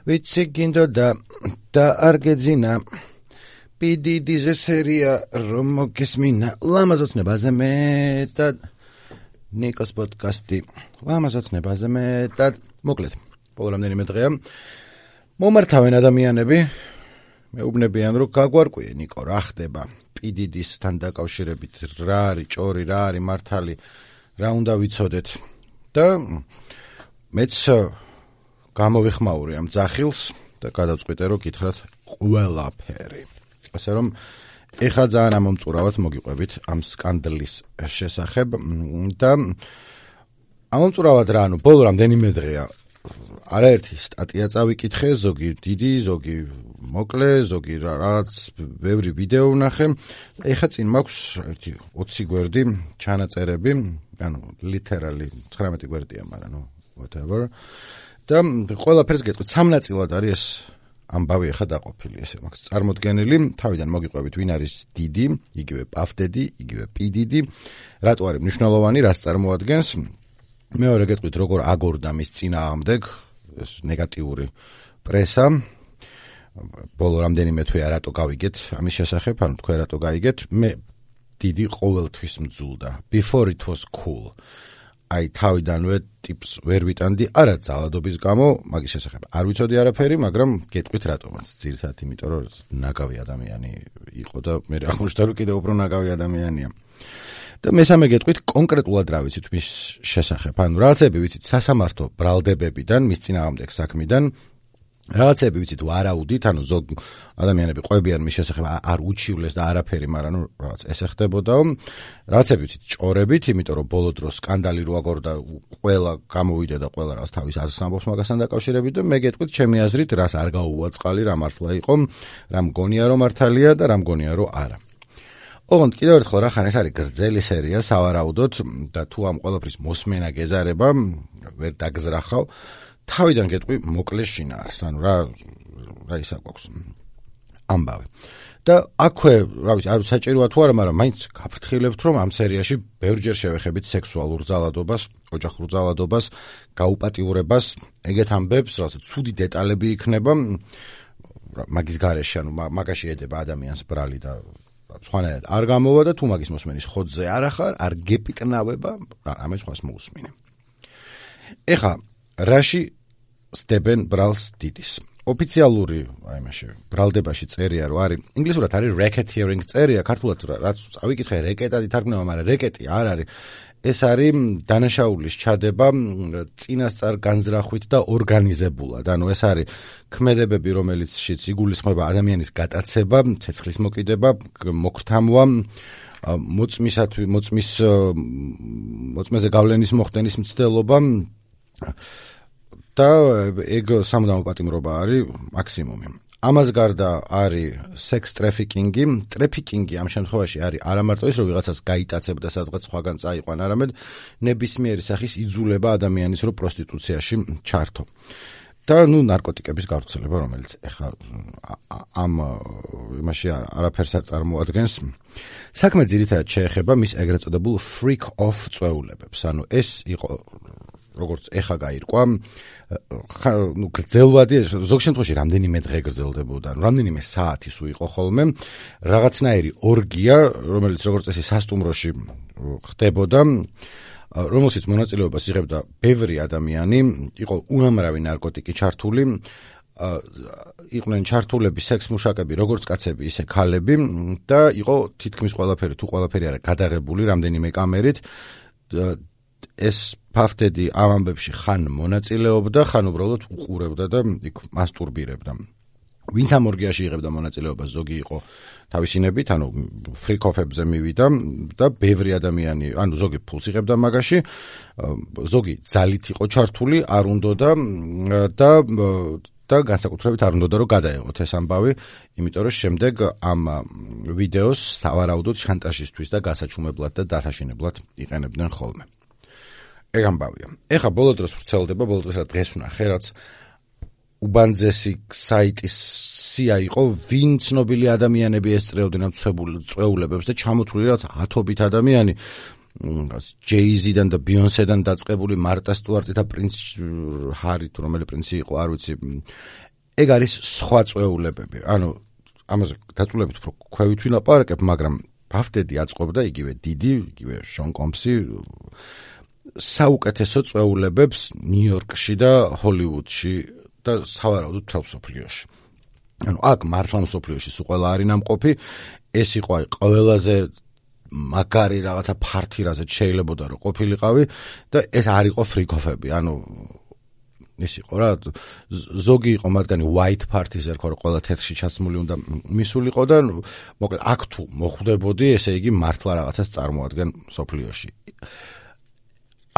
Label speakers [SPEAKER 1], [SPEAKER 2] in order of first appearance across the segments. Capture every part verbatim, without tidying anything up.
[SPEAKER 1] ვიცი გინდოდა და არ გეძინა პიდიდის სერია რომ მოგესმინა ლამაზოცნებაზე მეტად ნიკოს პოდკასტი ლამაზოცნებაზე მეტად მოკლედ ბოლო რამდენიმე დღეა მომართავენ ადამიანები მეუბნებიან რომ გაგვარკვიე ნიკო რა ხდება პიდიდისთან დაკავშირებით რა არის ჭორი რა არის მართალი რა უნდა ვიცოდეთ და მეც გამოვიხმაური ამ ძახილს და გადავწყვიტე რომ გითხრათ ყველაფერი ასე რომ ეხლა ძალიან ამომწურავად მოგიყვებით ამ სკანდლის შესახებ და ამომწურავად რა ანუ ბოლო რამდენიმე დღეა არაერთი სტატია წავიკითხე ზოგი დიდი ზოგი მოკლე ზოგი რაღაც ბევრი ვიდეო ვნახე ეხლა წინ მაქვს ერთი ოცი გვერდი ჩანაწერები ანუ literally ცხრამეტი გვერდია მაგრამ ნუ whatever და ყველაფერს გეტყვით სამ ნაწილად არის ეს ამბავი ახლა დაყოფილი ესე მაქვს წარმოდგენილი თავიდან მოგიყვებით ვინ არის დიდი იგივე პავდედი იგივე პიდიდი რატო არის მნიშვნელოვანი რას წარმოადგენს მეორე გეტყვით როგორ აგორდა მის წინააღმდეგ ეს ნეგატიური პრესა ბოლო რამდენიმე თვეა რატო გავიგეთ ამის შესახებ ანუ თქვენ რატო გაიგეთ მე დიდი ყოველთვის მძულდა before it was cool აი თავიდანვე ტიპს ვერ ვიტანდი არა ძალადობის გამო მაგის შესახებ არ ვიცოდი არაფერი მაგრამ გეტყვით რატომაც ძირითადად იმიტომ რომ ნაგავი ადამიანი იყო და მე აღმოჩნდა რომ კიდევ უფრო ნაგავი ადამიანია და მესამე გეტყვით კონკრეტულად რა ვიცით მის შესახებ ანუ რაღაცები ვიცით სასამართლო ბრალდებებიდან მის წინააღმდეგ საქმიდან რაღაცები ვიცით ვარაუდით ანუ ზოგ ადამიანები ყვებიან მის შესახებ არ უჩივლეს და არაფერი მაგრამ ნუ რაღაც ესე ხდებოდაო რაღაცები ვიცით ჭორებით იმიტომ რომ ბოლო დროს სკანდალი რო აგორდა ყველა გამოვიდა და ყველა რაღაც თავის აზრს ამბობს მაგასთან დაკავშირებით და მე გეტყვით ჩემი აზრით რას არ გაუვაწყალი რა მართლა იყო რა მგონია რომ მართალია და რა მგონია რომ არა ოღონდ კიდევ ერთხელ რა ხან ეს არის გრძელი სერია სავარაუდოდ და თუ ამ ყველაფრის მოსმენა გეზარება ვერ დაგზრახავ თავიდან გეტყვი მოკლე შინაარს ანუ რა რა ისა გვაქვს ამბავი და აქვე რა ვიცი არ საჭიროა თუ არა მაგრამ მაინც გაფრთხილებთ რომ ამ სერიაში ბევრჯერ შევეხებით სექსუალურ ძალადობას ოჯახურ ძალადობას გაუპატიურებას ეგეთ ამბებს რაღაც ცუდი დეტალები იქნება მაგის გარეშე ანუ მაგაში ედება ადამიანს ბრალი და სხვანაირად არ გამოვა და თუ მაგის მოსმენის ხოძზე არ ახარ არ გეპიტნავება ამას სხვას მოусმინე ეხა რაში სტებენ ბრალს დიდის ოფიციალური აი მაშე ბრალდებაში წერია რომ არის ინგლისურად არის racketeering წერია ქართულად რაც წავიკითხე რეკეტად ითარგმნება მაგრამ რეკეტი არ არის ეს არის დანაშაულის ჩადება წინასწარ განზრახვით და ორგანიზებულად ანუ ეს არის ქმედებები რომელიცშიც იგულისხმება ადამიანის გატაცება ცეცხლის მოკიდება მოგრთამვა მოწმისათვის მოწმის მოწმეზე გავლენის მოხდენის მცდელობა და ეგ სამუდამო პატიმრობა არის მაქსიმუმი. ამას გარდა არის sex trafficking-ი, trafficking-ი ამ შემთხვევაში არის არა მარტო ის, რომ ვიღაცას გაიტაცებ და სადღაც სხვაგან წაიყვან, არამედ ნებისმიერი სახის იძულება ადამიანის რო პროსტიტუციაში ჩართო. და ნუ ნარკოტიკების გავრცელება, რომელიც ეხლა ამ იმაში არაფერს არ წარმოადგენს. საქმე ძირითადად შეეხება მის ეგრეთ წოდებულ freak off წვეულებებს. ანუ ეს იყო როგორც ეხა გაირკვა, ნუ გრძელვადი ზოგ შემთხვევაში რამდენიმე დღე გრძელდებოდა, რამდენიმე საათი სულ იყო ხოლმე, რაღაცნაირი ორგია, რომელიც როგორც წესი სასტუმროში ხდებოდა, რომელშიც მონაწილეობას იღებდა ბევრი ადამიანი, იყო უამრავი ნარკოტიკი ჩართული, იყვნენ ჩართულები სექს მუშაკები, როგორც კაცები, ისე ქალები და იყო თითქმის ყველაფერი, თუ ყველაფერი არა გადაღებული რამდენიმე კამერით. ეს ფავდედი ამ ამბებში ხან მონაწილეობდა, ხან უბრალოდ უყურებდა და იქ მასტურბირებდა. ვინც ამ ორგიაში იღებდა მონაწილეობას, ზოგი იყო თავისინებით, ანუ ფრიკოფებზე მივიდა და ბევრი ადამიანი, ანუ ზოგი ფულს იღებდა მაგაში, ზოგი ძალით იყო ჩართული, არ უნდოდა და და განსაკუთრებით არ უნდოდა რომ გადაეღოთ ეს ამბავი, იმიტომ რომ შემდეგ ამ ვიდეოს სავარაუდოდ შანტაჟისთვის და გასაჩუმებლად და დათაშინებლად იყენებდნენ ხოლმე. ეგ ამბავია. ეხა ბოლო დროს ვრცელდება, ბოლო დროს დღეს ვნახე, რაც უბანძესი საიტის სია იყო, ვინ ცნობილი ადამიანები ესწრეოდნენ ამ წვეულებებს და ჩამოთვლილი რაც ათობით ადამიანი, ჯეიზიდან და ბიონსედან დაწყებული, მარტა სტუარტი და პრინც ჰარი თუ რომელი პრინცი იყო, არ ვიცი. ეგ არის სხვა წვეულებები. ანუ ამაზე დაწვრილებით უფრო ქვევით ვილაპარაკებ, მაგრამ ბაფდედი აწყობდა იგივე დიდი, იგივე შონ კომპსი საუკეთესო წვეულებებს ნიუ-იორკში და ჰოლივუდში და სავარაუდოდ მთელ მსოფლიოში. ანუ აქ მართლა მსოფლიოში სულ ყველა არის ნამყოფი, ეს იყო აი ყველაზე მაგარი რაღაცა ფართი რაზეც შეიძლებოდა რომ ყოფილიყავი და ეს არ იყო ფრიკოფები. ანუ ის იყო რა, ზოგი იყო მათგანი white party-ს ერქვა რომ ყველა თეთრში ჩაცმული უნდა მისულიყო და მოკლედ აქ თუ მოხვდებოდი, ესე იგი მართლა რაღაცას წარმოადგენ მსოფლიოში.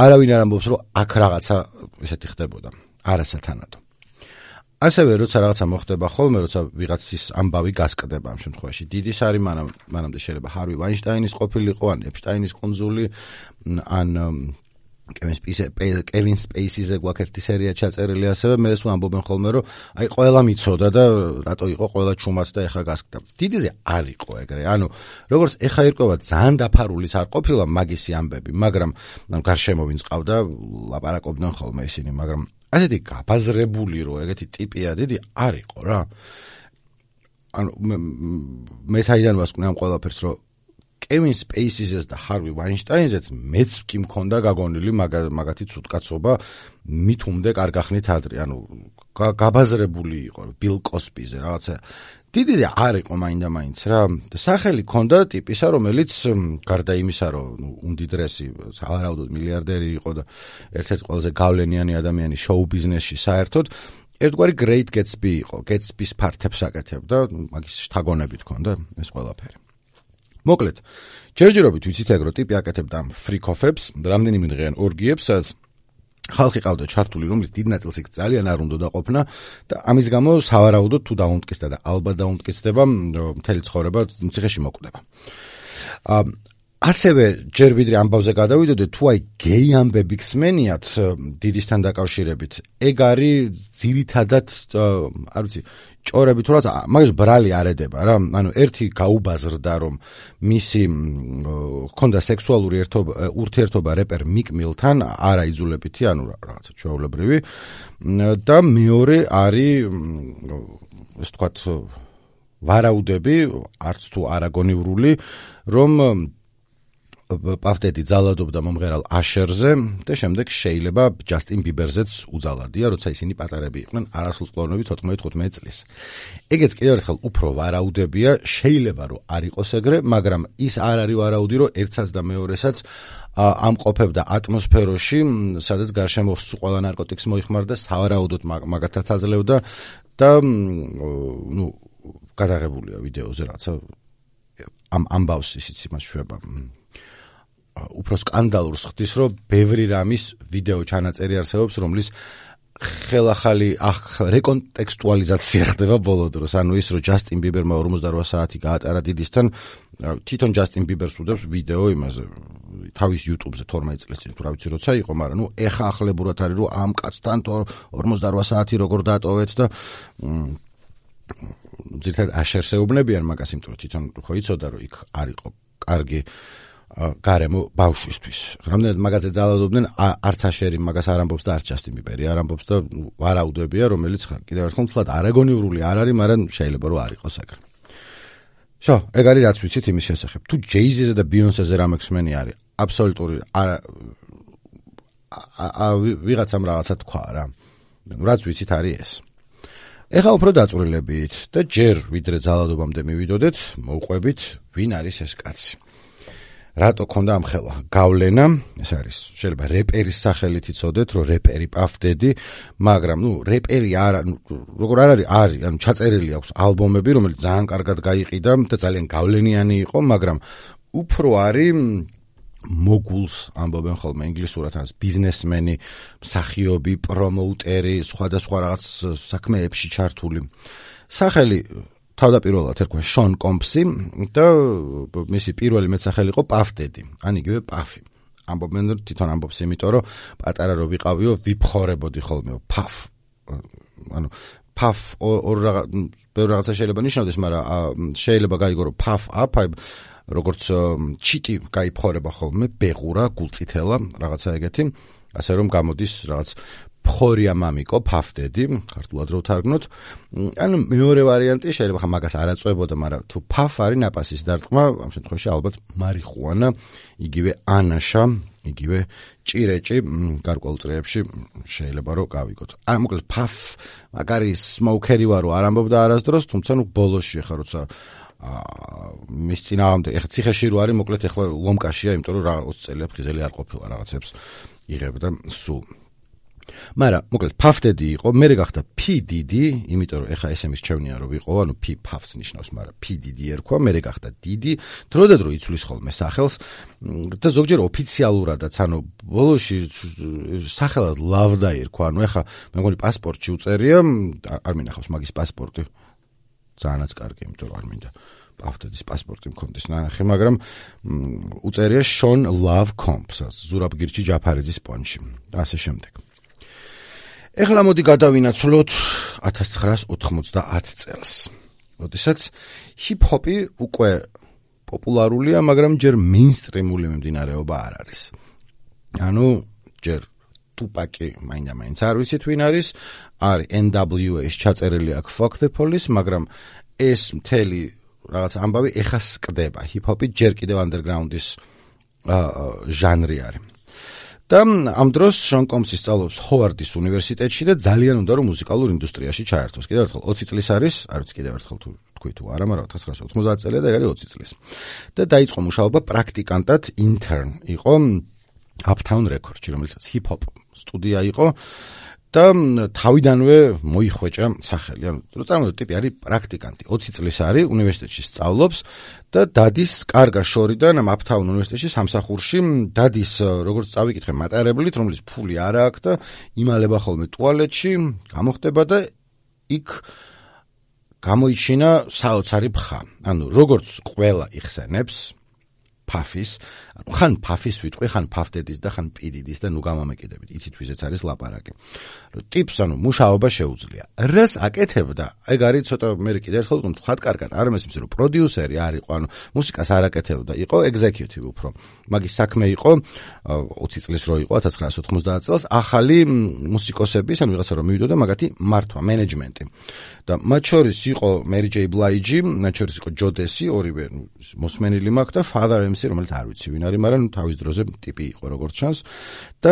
[SPEAKER 1] არავინ არ ამბობს რომ აქ რაღაცა ესეთი ხდებოდა, არასათანადო. ასევე როცა რაღაცა მოხდება ხოლმე, როცა ვიღაცის ამბავი გასკდება ამ შემთხვევაში, დიდი სარი მანამ მანამდე შეიძლება ჰარვი ვაინშტაინის ყოფილიყო, ან ეპშტაინის კუნძული, ან კევინ სპეისიზე გვაქვს ერთი სერია ჩაწერილი ასევე, მე სულ ამბობენ ხოლმე რომ აი ყველა მიცოდა და რატო იყო ყველა ჩუმად და ეხა გასკდა. დიდიზე არ იყო ეგრე. ანუ როგორც ეხა ირკვევა ძალიან დაფარულიც არ ყოფილა მაგისი ამბები, მაგრამ გარშემო ვინც ყავდა ლაპარაკობდნენ ხოლმე ისინი, მაგრამ ასეთი გაბაზრებული რო ეგეთი ტიპია დიდი არ იყო რა. ანუ მე საიდან ვასკვნე ამ ყველაფერს რომ კევინ სპეისიზეს და ჰარვი ვაინშტაინზეც მეც კი მქონდა გაგონილი მაგათი ცუდკაცობა მით უმდე კარგახნით ადრე. ანუ გაბაზრებული იყო ბილ კოსპიზე რაღაცა დიდიზე არ იყო მაინდა-მაინც რა. სახელი ქონდა ტიპისა, რომელიც გარდა იმისა, რომ უმდიდრესი სავარაუდოდ მილიარდერი იყო და ერთ-ერთი ყველაზე გავლენიანი ადამიანი შოუ ბიზნესში საერთოდ, ერთგვარი Great Gatsby იყო, Gatsby-ს ფართებს აკეთებდა, მაგის შთაგონებით ქონდა ეს ყველაფერი. მოკლედ, ჯერჯერობით ვიცით ეგ რომ ტიპი აკეთებდა ამ ფრიკოფებს, რამდენიმე დღეიან ორგიებს, სადაც ხალხი ყავდა ჩართული, რომლის დიდ ნაწილს იქ ძალიან არ უნდა დაყოფნა და ამის გამო სავარაუდოდ თუ დაუმტკიცდა და ალბათ დაუმტკიცდება, მთელი ცხოვრება ციხეში მოკვდება. ასევე ჯერ ვიდრე ამბავზე გადავიდოდეთ, თუ აი გეი ამბები გსმენიათ დიდისთან დაკავშირებით, ეგ არის ძირითადად, არ ვიცი, ჭორები თუ რაც მაგას ბრალი არ ედება რა. ანუ ერთი გაუბაზრდა რომ მისი ჰქონდა სექსუალური ურთიერთობა რეპერ მიკ მილთან, არა იძულებითი, ანუ რაღაცა ჩვეულებრივი და მეორე არის ეს თქვათ ვარაუდები, არც თუ არაგონივრული, რომ პაფდედი ძალადობდა მომღერალ აშერზე და შემდეგ შეიძლება ჯასტინ ბიბერზეც უძალადია, როცა ისინი პატარები იყვნენ, არასრულწლოვანები თოთხმეტ-თხუთმეტ წლის. ეგეც კიდევ ერთხელ უფრო ვარაუდებია, შეიძლება რომ არ იყოს ეგრე, მაგრამ ის არ არის ვარაუდი, რომ ერთსაც და მეორესაც ამყოფებდა ატმოსფეროში, სადაც გარშემო ყველა ნარკოტიკს მოიხმარდა, სავარაუდოდ მაგათაც აძლევდა და ნუ გადაღებულია ვიდეოზე რაცა ამ ამბავს ისიც იმას შვება. უფრო სკანდალურს ხდის, რომ ბევრი რამის ვიდეო ჩანაწერი არსებობს, რომლის ხელახალი რეკონტექსტუალიზაცია ხდება ბოლო დროს. ანუ ის, რომ ჯასტინ ბიბერმა ორმოცდაოთხ საათი გაატარა დიდისთან, თვითონ ჯასტინ ბიბერს უდევს ვიდეო იმაზე, თავის YouTube-ზე თორმეტ წლის წინ, თუ რა ვიცი როცა იყო, მაგრამ ნუ ეხა ახლებურად არის, რომ ამ კაცთან ორმოცდაოთხ საათი როგორ დატოვეთ და ძირთად აშერს ეუბნებიან მაგას, იმიტომ რომ თვითონ ხო იცოდა, რომ იქ არ იყო კარგი გარემო ბავშვისთვის. რამდენად მაგაზე ძალადობდნენ, არც აშერი მაგას არ ამბობს და არც ჯასტინ ბიბერი არ ამბობს და ვარაუდებია, რომელიც კიდევ ერთხელ თლად არაგონივრული არ არის, მაგრამ შეიძლება რომ არ იყოს ეგრე. შო, ეგ არის რაც ვიცით იმის შესახებ. თუ ჯეიზიზე და ბიონსეზე რა მექსმენი არის, აბსოლუტური არა ვიღაცამ რაღაცა თქვა რა. რაც ვიცით არის ეს. ეხლა უფრო დაწვრილებით და ჯერ ვიდრე ძალადობამდე მივიდოდეთ, მოვყვებით, ვინ არის ეს კაცი. რატო ქონდა ამ ხელა გავლენა, ეს არის შეიძლება რეპერის სახელით იცოდეთ, რომ რეპერი პაფდედი, მაგრამ ნუ რეპერი არა, როგორ არ არის, არის, ანუ ჩაწერილი აქვს ალბომები, რომელიც ძალიან კარგად გაიყიდა და ძალიან გავლენიანი იყო, მაგრამ უფრო არის მოგულს ამბობენ ხოლმე ინგლისურად, ან ბიზნესმენი, მსახიობი, პრომოუტერი, სხვადასხვა რაღაც საქმეებში ჩართული. სახელი თავდაპირველად ერქვა შონ კომპსი და მისი პირველი მეტსახელი იყო პაფდედი, ან იგივე პაფი. ამბობენ თვითონ ამბობს იმიტომ, რომ პატარა რო ვიყავიო, ვიფხორებოდი ხოლმე პაფ. ანუ პაფ ორ რაღაცა შეიძლება ნიშნავდეს, მაგრამ შეიძლება გაიგო რომ პაფ აპ როგორც ჩიტი გაიფხორება ხოლმე, ბეღურა, გულწითელა, რაღაცა ეგეთი, ასე რომ გამოდის რაღაც ფხორია მამიკო, ფაფდედი, ქართულად რო ვთარგმნოთ. ანუ მეორე ვარიანტი შეიძლება ხა მაგას არ აწვებოდა, მაგრამ თუ ფაფ არის ნაპასის დარტყმა, ამ შემთხვევაში ალბათ მარიხუანა, იგივე ანაშა, იგივე ჭირეჭი გარკვეულ წრეებში შეიძლება რომ გავიგოთ. აი მოკლედ ფაფ მაგარი სმოუკერი ვარო არ ამბობდა არასდროს, თუმცა ნუ ბოლოში ხა როცა მის წინააღმდეგ ეხლა ციხეში რო არის, მოკლედ ეხლა ლომკაშია, იმიტომ რომ რა ოცი წელი ფხიზელი არ ყოფილა, რაღაცებს იღებდა სულ. მაგრამ მოკლედ ფაფდედი იყო, მერე გახდა P Diddy, იმიტომ რომ ეხლა ესე მისჩევნია რომ ვიყო, ანუ P ფაფს ნიშნავს, მაგრამ P Diddy ერქვა, მერე გახდა Diddy, დროდადრო იცვლის ხოლმე სახელს და ზოგჯერ ოფიციალურადაც, ანუ ბოლოში სახელად ლავდა ერქვა, ანუ ეხლა მე მგონი პასპორტში უწერია, არ მინახავს მაგის პასპორტი. Ძალიანაც კარგი, იმიტომ რომ არ მინდა ფაფდედის პასპორტი მქონდეს ნახე, მაგრამ უწერია Sean Love Comps, ზურაბგირჩი ჯაფარიძის პონჩი და ასე შემდეგ. ეხლა მოდი გადავინაცვლოთ ათას ცხრაას ოთხმოცდაათ წელს. როდესაც ჰიპ-ჰოპი უკვე პოპულარულია, მაგრამ ჯერ მეინსტრიმული მიმდინარეობა არ არის. ანუ ჯერ ტუპაკი მაინდა-მაინც არ ვიცით ვინ არის, არის N W A-ს ჩაწერილი აქ Fuck the Police, მაგრამ ეს მთელი რაღაც ამბავი ეხა სკდება. ჰიპ-ჰოპი ჯერ კიდევ underground-ის ჟანრი არის. და ამ დროს Sean Combs სწავლობს ჰოვარდის უნივერსიტეტში და ძალიან უნდა რომ მუსიკალურ ინდუსტრიაში ჩაერთოს. კიდევ ერთხელ ოცი წლის არის, არ ვიცი კიდევ ერთხელ თუ თქვი თუ არა, მაგრამ ათას ცხრაას ოცდაათ წელია და ეგ არის ოცი წლის. და დაიწყო მუშაობა პრაქტიკანტად, intern იყო Uptown Records-ში, რომელიც hip-hop სტუდია იყო და თავიდანვე მოიხვეჭა სახელი. ანუ რო წარმოვიდგინოთ, ტიპი არის პრაქტიკანტი, ოცი წლის არის, უნივერსიტეტში სწავლობს და დადის კარგა შორიდან ამ Uptown უნივერსიტეტში სამსახურში, დადის როგორც წავიკითხე მატარებლით, რომლის ფული არ აქვს და იმალება ხოლმე ტუალეტში, გამოხდება და იქ გამოიჩინა საოცარი ბხა. ანუ როგორც ყველა იხსენებს ფაფის, ანუ ხან ფაფის ვიტყვი, ხან ფაფდედის და ხან პიდიდის და ნუ გამომეკიდებით. იცით ვიზეც არის ლაპარაკი. ტიპს ანუ მუშაობა შეუძლია. რას აკეთებდა? ეგ არის ცოტა მე კიდე ერთხელ ვთქვი, ხათ კარგად არ მესმის რომ პროდიუსერი არ იყო, ანუ მუსიკას არ აკეთებდა, იყო ეგზეკიუტივი უფრო. მაგის საქმე იყო ოცი წლის რო იყო ათას ცხრაას ოთხმოცდაათ წელს, ახალი მუსიკოსების, ანუ ვიღაცა რომ მივიდოდა მაგათი მართვა, მენეჯმენტი. და მათ შორის იყო Mary J. Blige, მათ შორის იყო ჯოდესი, ორივე მოსმენილი მაქვს და Father M C, რომელიც არ ვიცი ვინ არის, მაგრამ თავის დროზე ტიპი იყო როგორც ჩანს. და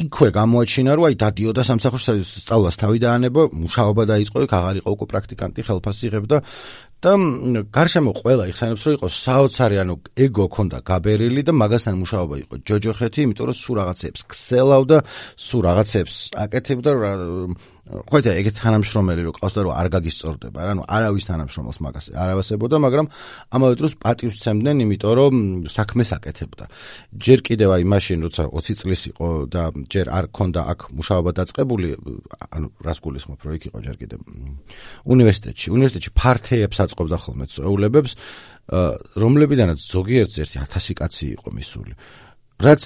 [SPEAKER 1] იქვე გამოაჩინა, რომ აი დადიოდა სამსახურში, სწავლას თავი დაანება, მუშაობა დაიწყო, იქ აღარ იყო უკვე პრაქტიკანტი, ხელფასი იღებდა და გარშემო ყველა იხსენებს, რომ იყო საოცარი, ანუ ეგო ქონდა გაბერილი და მაგასთან მუშაობა იყო ჯოჯოხეთი, იმიტომ რომ სულ რაღაცებს ქსელავდა, სულ რაღაცებს აკეთებდა, ხო იცი, ეგეთ თანამშრომელი რო ყავს და რომ არ გაგისწორდება, რა, ანუ არავის თანამშრომელს მაგას არ ავასებოდა, მაგრამ ამავე დროს პატივს სცემდნენ, იმიტომ რომ საქმეს აკეთებდა. ჯერ კიდევ აი მაშინ, როცა ოცი წლის იყო და ჯერ არ ქონდა აქ მუშაობა დაწყებული, ანუ რას გულისხმობ, რომ იქ იყო ჯერ კიდევ უნივერსიტეტში. უნივერსიტეტში ფართეებს აწყობდა ხოლმე წვეულებებს, რომლებიდანაც ზოგიერთს ერთი ათასი კაცი იყო მისული. რაც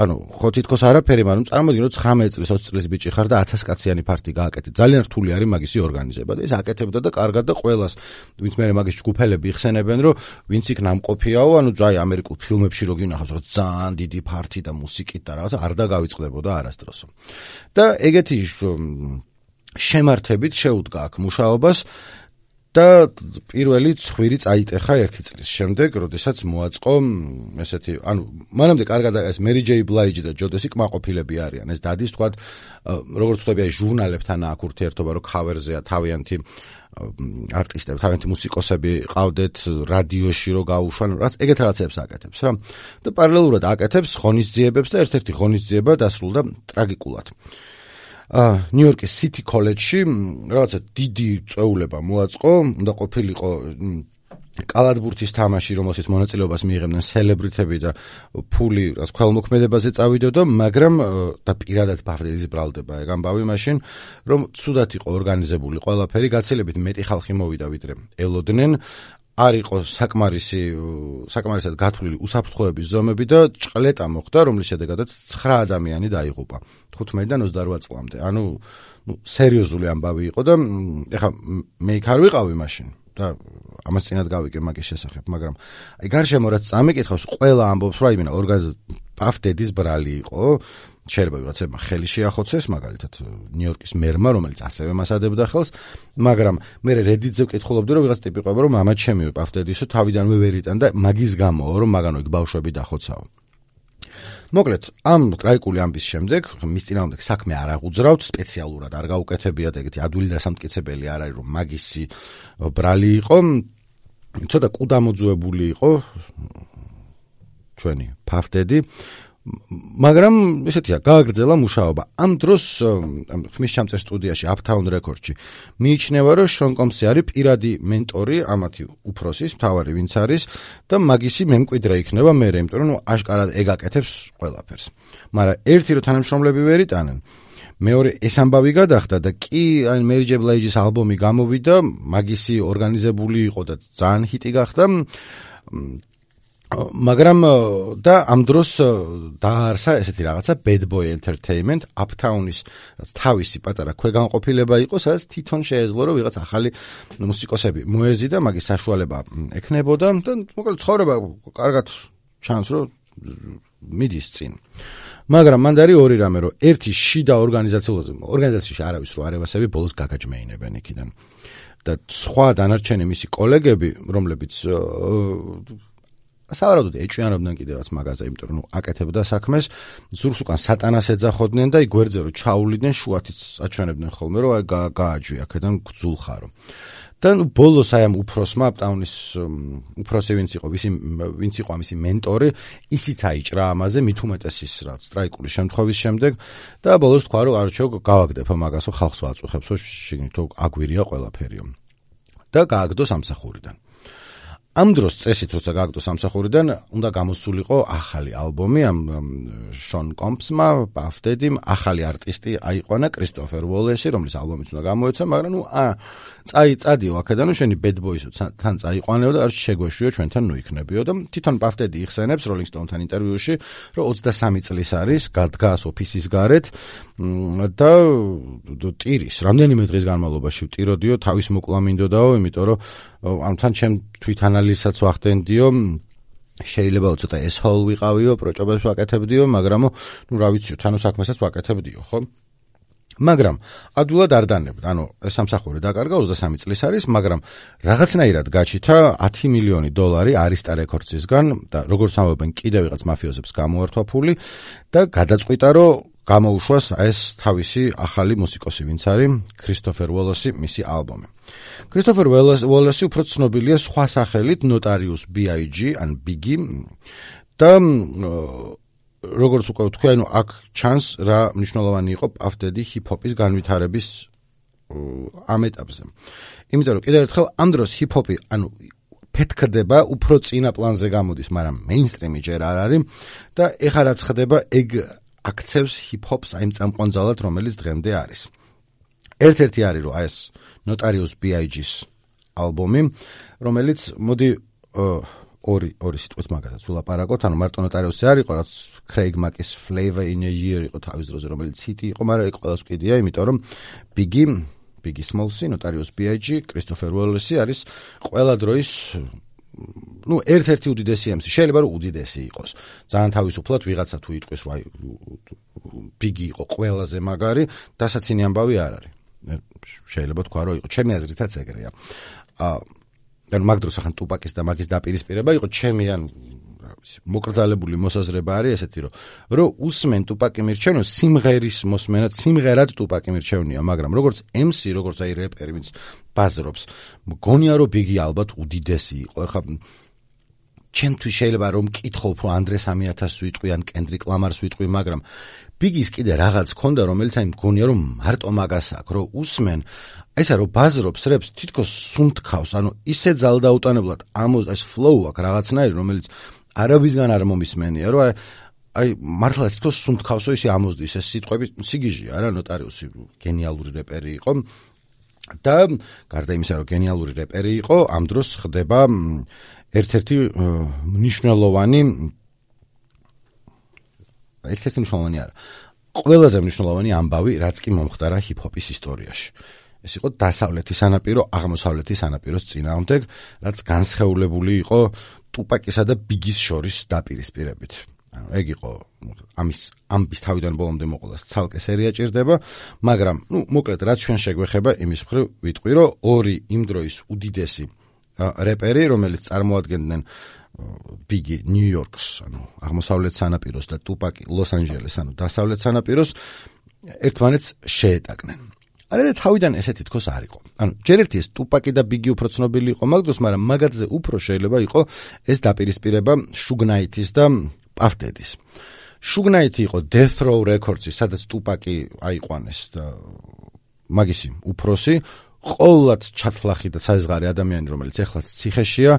[SPEAKER 1] ანუ ხო თითქოს არაფერი, მაგრამ წარმოვიდგინე, რომ ცხრამეტი წლის, ოცი წლის ბიჭი ხარ და ათას კაციანი ფარტი გააკეთე. ძალიან რთული არის მაგისი ორგანიზება და ეს აკეთებდა და კარგად და ყველას, ვინც მე მაგის ჯგუფელები იხსენებენ, რომ ვინც იქ ნამყოფიაო, ანუ ძაი ამერიკულ ფილმებში რო გინახავს, რომ ძალიან დიდი ფარტი და მუსიკით და რაღაცა არ დაგავიწყდებოდა არასდროსო. და ეგეთი შემართებით შეუდგა აქ მუშაობას და პირველი ცხვირი წაიტეხა ერთი წლის შემდეგ, როდესაც მოაწყო ესეთი, ანუ მანამდე კარგად ეს Mary J. Blige და ჯოდესი კმაყოფილები არიან. ეს დადის თქვა, როგორც ვთქვი, აი ჟურნალებთან აქ ურთიერთობა, რომ cover-ზეა თავიანთი არტისტები, თავიანთი მუსიკოსები ყავდეთ, რადიოში რო გაუშვან, რაც ეგეთ რაღაცებს აკეთებს რა. და პარალელურად აკეთებს ღონისძიებებს და ერთ-ერთი ღონისძიება დასრულდა ტრაგიკულად. ნიუ-იორკის City College-ში რაღაცა დიდი წვეულება მოაწყო, უნდა ყოფილიყო კალათბურთის თამაში, რომელშიც მონაწილეობას მიიღებდნენ სელებრიტები და ფული რაც ქველმოქმედებაზე წავიდოდა, მაგრამ და პირადად ფაფდედის ბრალდება ეგ ამბავი მაშინ, რომ ცუდად იყო ორგანიზებული ყველაფერი, გაცილებით მეტი ხალხი მოვიდა, ვიდრე ელოდნენ. არ იყო საკმარისი საკმარისად გათვლილი უსაფრთხოების ზომები და ჭყლეტა მოხდა, რომლის შედეგადაც ცხრა ადამიანი დაიღუპა თხუთმეტიდან ოცდარვა წლამდე. ანუ ნუ სერიოზული ამბავი იყო და ეხლა მე იქ არ ვიყავი მაშინ და ამას წინათ გავიგე მაგის შესახებ, მაგრამ აი გარშემო რაც წამიკითხავს, ყველა ამბობს, რომ აი მენა ორგანიზ პაფდედის ბრალი იყო შეიძლება ვიღაცებმა ხელი შეახოცეს, მაგალითად ნიუ-იორკის მერმა, რომელიც ასევე მას ადებდა ხელს, მაგრამ მე Reddit-ზე ვკითხულობდი, რომ ვიღაც ტიპი ყვება, რომ მამა ჩემი პავტედისო თავიდანვე ვერ იტანდა, მაგის გამო, რომ მაგანო იქ ბავშვები დახოცაო. მოკლედ, ამ ტრაიკული ამბის შემდეგ, მის წინააღმდეგ საქმე არ აღუძრავთ, სპეციალურად არ გაუკეთებიათ, ეგეთი ადვილი დასამტკიცებელი არ არის, რომ მაგისი ბრალი იყო, ცოტა კუდამოძუებული იყო ჩვენი ფავტედი, მაგრამ ესეთია, გააგრძელა მუშაობა. ამ დროს ხმის ჩამწერ სტუდიაში Uptown Records-ში მიიჩნევა, რომ შონ კომსი არის პირადი მენტორი ამათი უფროსის, მთავარი ვინც არის და მაგისი მემკვიდრე იქნება მერე, იმიტომ რომ აშკარად ეგაკეთებს ყველაფერს. მაგრამ ერთი რო თანამშრომლები ვერ იტანენ, მეორე ეს ამბავი გადახდა და კი აი Mary J. Blige-ის ალბომი გამოვიდა, მაგისი ორგანიზებული იყო და ძალიან ჰიტი გახდა. მაგრამ და ამ დროს დაარსა ესეთი რაღაცა Bad Boy Entertainment, Uptown-ის თავისი პატარა ქვეგანყოფილება იყო, სადაც თვითონ შეეძლო, რომ ვიღაც ახალი მუსიკოსები მოეზიდა, მაგის საშუალება ექნებოდა და მოკლედ ცხოვრება კარგად ჩანს, რომ მიდის წინ. მაგრამ მანდ არის ორი რამე, რომ ერთი შიდა ორგანიზაციაზე, ორგანიზაციაში არავის რო არევასები ბოლოს გაგაჯმეინებენ იქიდან. და სხვა დანარჩენი მისი კოლეგები, რომლებიც სავარაუდოდ ეჭვიანობდნენ კიდევაც მაგაზე, იმიტომ რომ აკეთებდა საქმეს, ზურგს უკან სატანას ეძახოდნენ და იგვერძე რომ ჩაუვლიდნენ, შუათიც აჩვენებდნენ ხოლმე, რომ აი გააჯვი აქედან გძულხარო. და ბოლოს აი ამ უფროსმა Uptown-ის უფროსი ვინც იყო, ვისი ვინც იყო ამისი მენტორი, ისიც აიჭრა ამაზე, მით უმეტეს ის რაც ტრაიკული შემთხვევის შემდეგ და ბოლოს თქვა რომ არჩევ გავაგდებო მაგასო ხალხს ვაწუხებსო, შიგნითო აგვირია ყველაფერიო. და გააგდო სამსახურიდან. ამ დროს წესით როცა გააგდო სამსახურიდან, უნდა გამოსულიყო ახალი ალბომი ამ შონ კომსმა, პავტედიმ, ახალი არტისტი აიყვანა კრისტოფერ უოლესი, რომლის ალბომიც უნდა გამოეცა, მაგრამ ნუ ა წაი წადიო აქედან, შენი Bad Boys-ო თან წაიყვანეო და არ შეგვეშვიო ჩვენთან ნუ იქნებიო და თვითონ პავტედი იხსენებს Rolling Stone-თან ინტერვიუში, რომ ოცდასამი წლის არის, გადდგას ოფისის გარეთ და ტირის, რამდენიმე დღის განმავლობაში ვტიროდიო, თავის მოკლა მინდოდაო, იმიტომ რომ ამთან ჩემ თვითანალიზსაც ვახდენდიო, შეიძლება ცოტა ეს-ჰოლ ვიყავიო, პროჭობებს ვაკეთებდიო, მაგრამ ნუ რა ვიციო, თანო საქმესაც ვაკეთებდიო, ხო? მაგრამ ადვილად არ დანებდა, ანუ ეს სამსახური დაკარგა, ოცდასამი წლის არის, მაგრამ რაღაცნაირად გაჩითა ათი მილიონი დოლარი Arista Records-ისგან და როგორც ამბობენ, კიდევ ვიღაც მაფიოზებს გამოართვა ფული და გადაწყვიტა, რომ გამოუშვას ეს თავისი ახალი მუსიკოსი, ვინც არის კრისტოფერ უოლესი, მისი ალბომი. კრისტოფერ უოლესი უფრო ცნობილია სხვა სახელით Notorious ბი აი ჯი ან Biggie და როგორც უკვე ვთქვი, ანუ აქ ჩანს რა მნიშვნელოვანი იყო პავტედი ჰიპ-ჰოპის განვითარების ამ ეტაპზე. იმიტომ რომ კიდევ ერთხელ ამ დროს ჰიპ-ჰოპი, ანუ ფეთქდება, უფრო წინა პლანზე გამოდის, მაგრამ მეინსტრიმი ჯერ არ არის და ეხლა რაც ხდება, ეგ აქცევს ჰიპ-ჰოპს აი წამყვანძალად, რომელიც დღემდე არის. ერთ-ერთი არის რომ აი ეს Notorious ბი აი ჯის ალბომი, რომელიც მოდი ორი ორი სიტყვით მაგასაც ვილაპარაკოთ, ანუ მარტო Notorious-ი არ იყო, რაც Craig Mack-ის Flavor in a Year იყო თავის დროზე, რომელიც ჰიტი იყო, მაგრამ ეგ ყველას ვკიდია, იმიტომ რომ Biggie, Biggie Smalls-ი, Notorious ბი აი ჯი, Christopher Wallace არის ყველა დროის ну ერთ-ერთი უდიდესი ემსი, შეიძლება რომ უდიდესი იყოს. ძალიან თავისუფლად ვიღაცა თუ იტყვის, რომ აი Biggie იყო ყველაზე მაგარი, დასაცინი ამბავი არ არის. შეიძლება თქვა, რომ იყო ჩემი აზრითაც ეგრეა. აა ანუ მაგ დროს ახან ტუპაკის და მაგის დაპირისპირება იყო ჩემი ან რა ვიცი, მოკრძალებული მოსაზრება არის ესეთი, რომ რომ უსმენ ტუპაკი მირჩევნო, სიმღერის მოსმენად, სიმღერად ტუპაკი მირჩევნია, მაგრამ როგორც ემსი, როგორც აი რეპერი, ვინც ბაზრობს, მგონია რომ Biggie ალბათ უდიდესი იყო. ეხლა ჩემთვის შეიძლება რომ მკითხო უფრო ანდრე სამი ათასს ვიტყვი ან კენდრიკ ლამარს ვიტყვი, მაგრამ Biggie-ს კიდე რაღაც ქონდა, რომელიც აი მგონია რომ მარტო მაგას აქვს, რომ უსმენ ესა რომ ბაზრობს რეპს, თითქოს სუნთქავს, ანუ ისე ძალდაუტანებლად ამოს ეს flow აქვს რაღაცნაირი, რომელიც არავისგან არ მომისმენია, რომ აი აი მართლა თითქოს სუნთქავსო ისე ამოსდის ეს სიტყვები, სიგიჟია რა, Notorious გენიალური რეპერი იყო და გარდა იმისა, რომ გენიალური რეპერი იყო, ამ დროს ხდება ერთ-ერთი მნიშვნელოვანი ერთ-ერთი მნიშვნელოვანი არა, ყველაზე მნიშვნელოვანი ამბავი, რაც კი მომხდარა ჰიპ-ჰოპის ისტორიაში. ეს იყო დასავლეთის სანაპირო, აღმოსავლეთის სანაპიროს წინააღმდეგ, რაც განსხეულებული იყო ტუპაკისა და Biggie-ის შორის დაპირისპირებით. ეგ იყო ამის ამის თავიდან ბოლომდე მოყოლას ცალკე სერია ჭირდება, მაგრამ ნუ მოკლედ რაც ჩვენ შეგვეხება იმის მხრივ ვიტყვი, რომ ორი იმ დროის უდიდესი რეპერი, რომელიც წარმოადგენდნენ ბიგი ნიუ-იორკს, ანუ აღმოსავლეთ სანაპიროს და ტუპაკი ლოს-ანჯელეს, ანუ დასავლეთ სანაპიროს ერთმანეთს შეეტაკნენ. არა თავიდან ესეთი თქოს არ იყო. ანუ ჯერ ერთი ეს ტუპაკი და ბიგი უფრო ცნობილი იყო მაგ დროს, მაგრამ მაგათზე უფრო შეიძლება იყო ეს დაპირისპირება შუგნაითის და პაფ-დედის. შუგნაითი იყო Death Row Records-ი, სადაც ტუპაკი აიყვანეს და მაგისი უფროსი, ყოველად ჩათლახი და საიზღარი ადამიანი, რომელიც ეხლაც ციხეშია,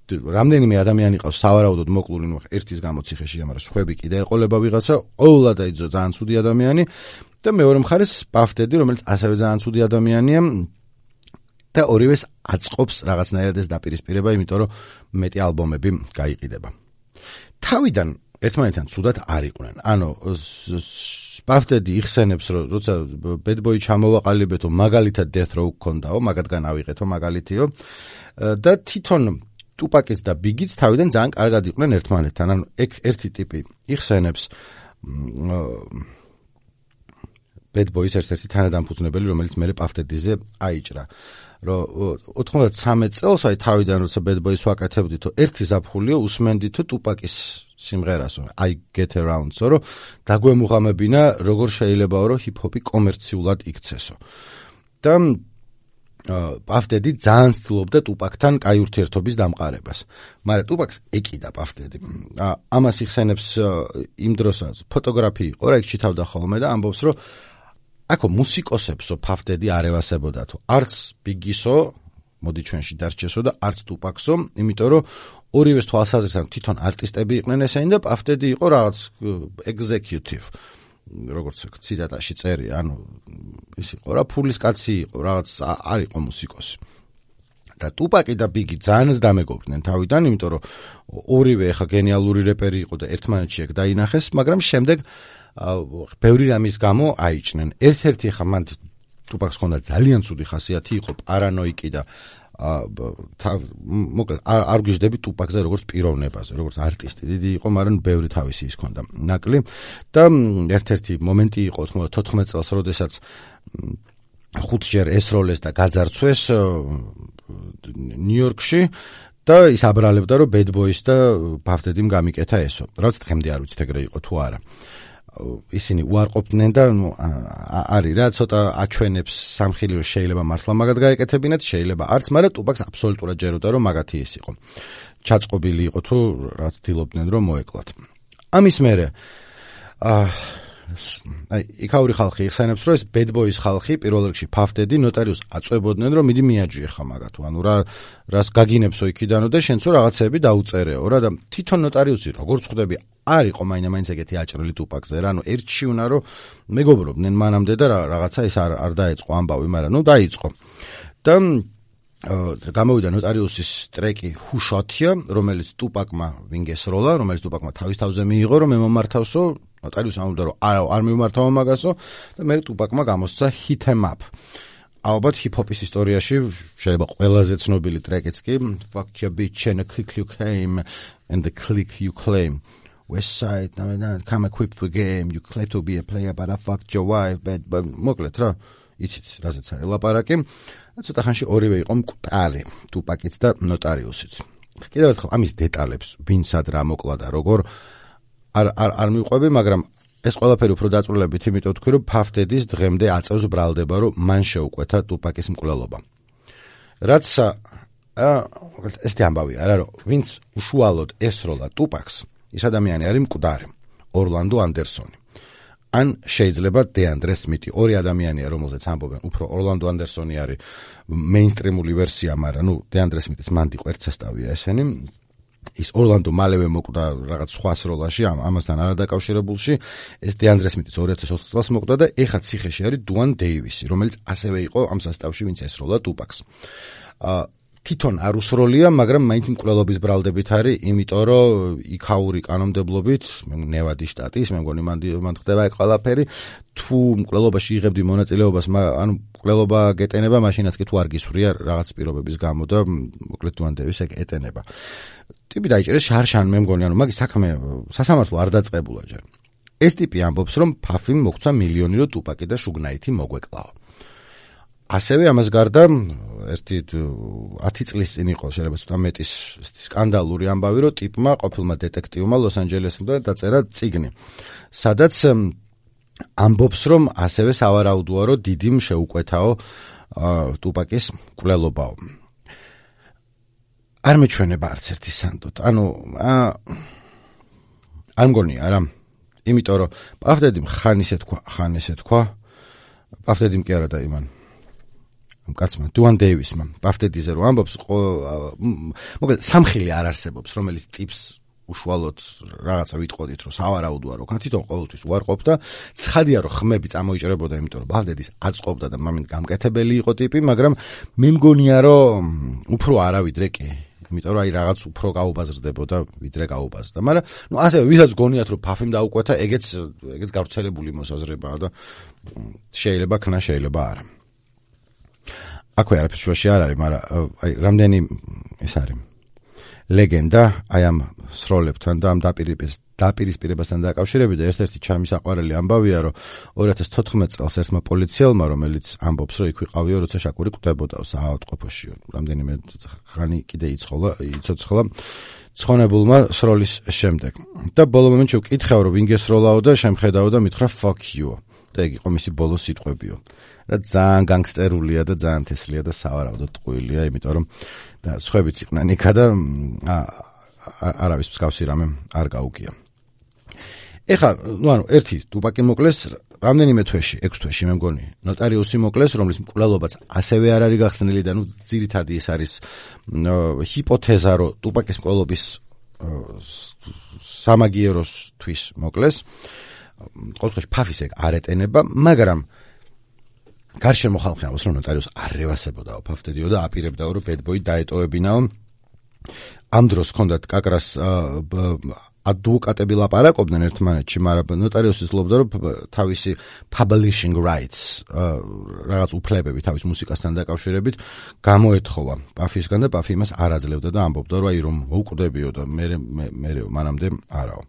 [SPEAKER 1] რამდენიმე ადამიანი ყავს სავარაუდოდ მოკლული, ნუ ერთის გამო ციხეშია, მაგრამ სხვები კიდე ეყოლება ვიღაცა, ყოველად აიძო ძალიან ცუდი ადამიანი და მეორე მხარეს პაფ-დედი, რომელიც ასევე ძალიან ცუდი ადამიანია და ორივეს აწყობს რაღაცნაირად ეს დაპირისპირება, იმიტომ რომ მეტი ალბომები გაიყიდება. თავიდან ერთმანეთთან ცუდად არ იყვნენ. ანუ პაფ-დედი იხსენებს, რომ როცა Bad Boy ჩამოვაყალიბეთო, მაგალითად Death Row გქონდაო, მაგათგან ავიღეთო მაგალითიო და თვითონ ტუპაკიც და ბიგიც თავიდან ძალიან კარგად იყვნენ ერთმანეთთან. ანუ ეგ ერთი ტიპი იხსენებს Bad Boys ერთ-ერთი თანადამფუძნებელი, რომელიც მერე პაფ-დედიზე აიჭრა. რომ ოთხმოცდათრამეტ წელს აი თავიდან როცა Bad Boys ვაკეთებდითო, ერთი ზაფხულიო უსმენდითო ტუპაკის სიმღერასო, I Get Around-სო, რომ დაგვემუღამებინა როგორ შეიძლებაო, რომ ჰიპ-ჰოპი კომერციულად იქცესო. და პაფ-დედი ძალიან ცდილობდა ტუპაკთან კაი ურთიერთობის დამყარებას. მაგრამ ტუპაკს ეკიდა პაფ-დედი. ამას იხსენებს იმ დროსაც ფოტოგრაფი იყო, რა იქ ჩითავდა ხოლმე და ამბობს, რომ აქო მუსიკოსებსო პაფ-დედი არ ევასებოდათო. არც ბიგისო, მოდი ჩვენში დარჩესო და არც ტუპაკსო, იმიტომ რომ ორივეს თვალსაზრისით თვითონ არტისტები იყვნენ ესენი და პაფ-დედი იყო რაღაც executive. როგორც ციტატაში წერია, ანუ ის იყო რა ფულის კაცი იყო, რაღაც არ იყო მუსიკოსი. და ტუპაკი და ბიგი ძალიან ზდამეგობრდნენ თავიდან, იმიტომ რომ ორივე ხა გენიალური რეპერი იყო და ერთმანეთში ეგ დაინახეს, მაგრამ შემდეგ ბევრი რამის გამო აიჭნენ. ერთ-ერთი ხა მან ტუპაკს ჰქონდა ძალიან ცუდი ხასიათი, იყო პარანოიკი და მოკლედ არ გვიждები ტუპაკზე როგორც პიროვნებაზე, როგორც არტისტი. დიდი იყო, მაგრამ ბევრი თავისი ის ჰქონდა ნაკლი და ერთ-ერთი მომენტი იყო თოთხმეტ წელს, როდესაც ხუთჯერ ესროლეს და გაძარცვეს ნიუ-იორკში და ის აბრალებდა, რომ Bad Boys და პაფ-დედიმ გამიკეთა ესო. რაც დღემდე არ ვიცით ეგრე იყო თუ არა. ისინი უარყოფდნენ და ნუ არის რა ცოტა აჩვენებს სამხილი, რომ შეიძლება მართლა მაგათ გაეკეთებინათ, შეიძლება არც, მაგრამ ტუპაკს აბსოლუტურად ჯეროდა, რომ მაგათი ის იყო. ჩაწყობილი იყო თუ რაც ცდილობდნენ, რომ მოეკლათ. ამის მერე აი იქაური ხალხი იხსენებს, რომ ეს Bad Boys ხალხი პირველ რიგში პაფ-დედი ნოტარიუსს აწვებოდნენ, რომ მიდი მიაჯიე ხა მაგათო, ანუ რა რას გაგინებსო იქიდანო და შენცო რაღაცები დაუწერეო რა და თვითონ ნოტარიუსი როგორც ხვდები არ იყო მაინდა-მაინც ეგეთი აჭრილი ტუპაკზე რა, ანუ ერთში უნდა რომ მეგობრობდნენ მანამდე და რაღაცა ის არ არ დაეწყო ამბავი, მაგრამ ნუ დაიწყო. და გამოვიდა ნოტარიუსის ტრეკი Who Shot You, რომელიც ტუპაკმა ვინგესროლა, რომელიც ტუპაკმა თავის თავზე მიიღო, რომ მე მომართავსო, ნოტარიუსი ამბობდა, რომ არ არ მიმართავო მაგასო და მე ტუპაკმა გამოსცა Hit 'em Up. ალბათ ჰიპ-ჰოპის ისტორიაში შეიძლება ყველაზე ცნობილი ტრეკიც კი Fuck your bitch and the click you came and the click you claim. West Side, come equipped with game, you claim to be a player, but I fucked your wife, but, but მოკლედ რა, იცით, რაზეც არის ლაპარაკი. ცოტა ხანში ორივე იყო მკვდარი, ტუპაკიც და ნოტარიუსიც. კიდევ ერთხელ ამის დეტალებს, ვინცად რა მოკლა და როგორ არ არ არ მივყვები, მაგრამ ეს ყველაფერი უფრო დაწვრილებით, იმიტომ თქვი, რომ პაფ-დედის დღემდე აწევს ბრალდება, რომ მან შეუკვეთა ტუპაკის მკვლელობა. რაც ესეთი ამბავია, არა რომ ვინც უშუალოდ ესროლა ტუპაკს, ის ადამიანი არის მკვდარი, ორლანდო ანდერსონი. ან შეიძლება დეანდრე სმითი, ორი ადამიანია, რომელზეც ამბობენ, უფრო ორლანდო ანდერსონი არის მეინსტრიმული ვერსია, მაგრამ ნუ დეანდრე სმითის მანდი ყვერცესტავია ესენი. ის ორლანდო მალევე მოკვდა რაღაც სხვა სროლაში, ამასთან არადაკავშირებულში. ეს დეანდრე სმითის ორი ათას ოთხ წელს მოკვდა და ეხლა ციხეში არის დუან დეივისი, რომელიც ასევე იყო ამ სასტავში, ვინც ესროლა ტუპაკს. თვითონ არ უსროლია, მაგრამ მაინც მკვლელობის ბრალდებით არის, იმიტომ რომ იქაური კანონმდებლობით, ნევადის შტატის, მე მგონი მან ხდება ეგ ყველაფერი, თუ მკვლელობაში იღებდი მონაწილეობას, ანუ მკვლელობა გეტენება, მაშინაც კი თუ არ გისვრია რაღაც პირობების გამო და მოკლედ თუ ანდევის ეგ ეტენება. ტიპი დაიჭერეს შარშან, მე მგონი, ანუ მაგის საქმე სასამართლო არ დაწყებულა ჯერ. ეს ტიპი ამბობს, რომ ფაფიმ მოგცა მილიონი, რომ ტუპაკი და შუგნაითი მოგვეკლაო. ასევე ამას გარდა ერთი ათი წლის წინ იყო შეიძლება ცოტა მეტის სკანდალური ამბავი, რომ ტიპმა ყოფილმა დეტექტივმა ლოს-ანჯელესიდან დაწერა წიგნი, სადაც ამბობს, რომ ასევე სავარაუდოა, რომ დიდიმ შეუკვეთაო ტუპაკის მკვლელობაო. არ მეჩვენება არც ერთი სანდოთ. ანუ არ მგონია რა. იმიტომ რომ პავდედიმ ხან ისე თქვა, ხან ესე თქვა. პავდედიმ კი არა და იმან კაცმა, დუან დეივისმა, პავდეդიზე რომ ამბობს, მოკლედ სამხილი არ არსებობს, რომელიც ტიპს უშუალოდ რაღაცა ვიტყოდით, რომ სავარაუდოა, რომ თვითონ ყოველთვის უარყოფდა, ცხადია, რომ ხმები წამოიჭრებოდა, იმიტომ რომ პავდედის აწყობდა და მომენტ გამკეთებელი იყო ტიპი, მაგრამ მე მგონია, რომ უფრო არა ვიდრე კი. იმიტომ რომ აი რაღაც უფრო გაუბაზრდებოდა, ვიდრე გაუბაზრდა. მაგრამ ნუ ასევე ვისაც გონიათ, რომ ფაფიმ დაუკვეთა, ეგეც ეგეც გავრცელებული მოსაზრებაა და შეიძლება ქნა, შეიძლება არა. აქვე არაფერს შუაში არ არის, მაგრამ აი რამდენი ეს არის ლეგენდა აი ამ სროლებთან და ამ დაპირისპირებასთან დაკავშირებით და ერთ-ერთი ჩამის აყვარელი ამბავია, რომ ორი ათას თოთხმეტ წელს ერთმა პოლიციელმა, რომელიც ამბობს, რომ იქ ვიყავიო, როცა შაკური კვდებოდა საავადმყოფოში, რამდენიმე ხანი კიდე იცხოვლა, იცოცხლა ცხონებულმა სროლის შემდეგ. და ბოლო მომენტში ვკითხავ, რომ ვინ გესროლაო და შემხედაო და მითხრა fuck you. და ეგ იყო მისი ბოლო სიტყვებიო. და ძალიან განგსტერულია და ძალიან თესლია და სავარაუდოდ ტყუილია, იმიტომ რომ და სხვაებიც იყვნენ იქა და არავის მსგავსი რამე არ გაუგია. ეხლა, ნუ ანუ ერთი ტუპაკი მოკლეს რამდენიმე თვეში, ექვს თვეში მე მგონი, ნოტარიუსი მოკლეს, რომლის მკვლელობაც ასევე არ არის გახსნილი და ნუ ძირითადი ეს არის ჰიპოთეზა, რომ ტუპაკის მკვლელობის სამაგიეროსთვის მოკლეს. ყოველთვის ფაფის ეგ არ ეტენება, მაგრამ გარშემო ხალხი ამბობს, რომ ნოტარიუსს არ რევასებოდაო ფაფდედიო და აპირებდაო, რომ ბედბოი დაეტოვებინაო. ამ დროს ჰქონდათ კაკრას ადვოკატები ლაპარაკობდნენ ერთმანეთში, მაგრამ ნოტარიუსი ცდილობდა, რომ თავისი publishing rights რაღაც უფლებები თავის მუსიკასთან დაკავშირებით გამოეთხოვა პაფისგან და პაფი იმას არ აძლევდა და ამბობდა, რომ აი რომ მოუკვდებიო და მე მე მანამდე არაო.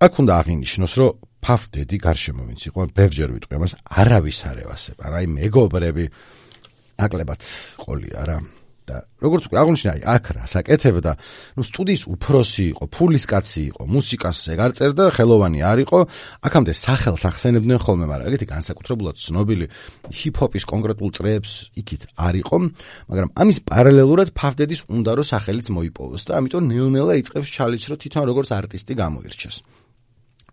[SPEAKER 1] აქ უნდა აღინიშნოს, რომ ფაფდედი გარშემო ვინც იყო, ბევრჯერ ვიტყვი ამას, არავის არ ევასება, რა, აი მეგობრები ნაკლებად ყოლია რა. და როგორც უკვე აღნიშნა, აი აქ რა საკეთებდა, ნუ სტუდიის უფროსი იყო, ფულის კაცი იყო, მუსიკას ეგ არ წერდა, ხელოვანი არ იყო, აქამდე სახელს ახსენებდნენ ხოლმე, მაგრამ ეგეთი განსაკუთრებულად ცნობილი ჰიპ-ჰოპის კონკრეტულ წრეებს იქით არ იყო, მაგრამ ამის პარალელურად ფაფდედის უნდა რომ სახელიც მოიპოვოს და ამიტომ ნელ-ნელა იწყებს ჩალენჯს, რომ თვითონ როგორც არტისტი გამოირჩეს.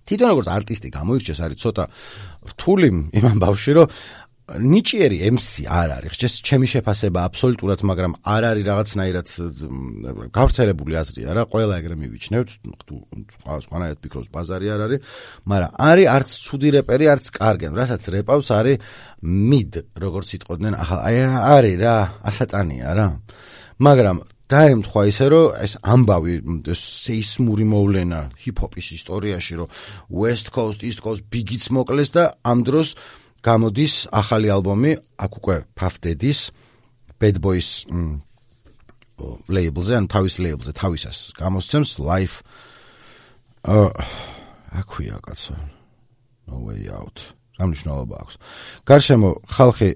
[SPEAKER 1] თვითონ როგორც არტისტი გამოირჩეს, არის ცოტა რთული იმ ამბავში, რომ ნიჭიერი ემსი არ არის, ხჭეს ჩემი შეფასება აბსოლუტურად, მაგრამ არ არის რაღაცნაირად გავრცელებული აზრია რა, ყველა ეგრე მივიჩნევთ, თუ სხვანაირად ფიქრობს ბაზარი არ არის, მაგრამ არის არც ცუდი რეპერი, არც კარგენ, რასაც რეპავს არის mid, როგორც იტყოდნენ, აი არის რა, ასატანია რა. მაგრამ დაემთხვა ისე, რომ ეს ამბავი, სეისმური მოვლენა ჰიპ-ჰოპის ისტორიაში, რომ West Coast, East Coast ბიგიც მოკლეს და ამ დროს გამოდის ახალი ალბომი, აქ უკვე ფაფდედის Bad Boys label-ზე, ან თავის label-ზე, თავისას გამოსცემს Life აქვია კაცო, No Way Out. რა მნიშვნელობა აქვს. გარშემო ხალხი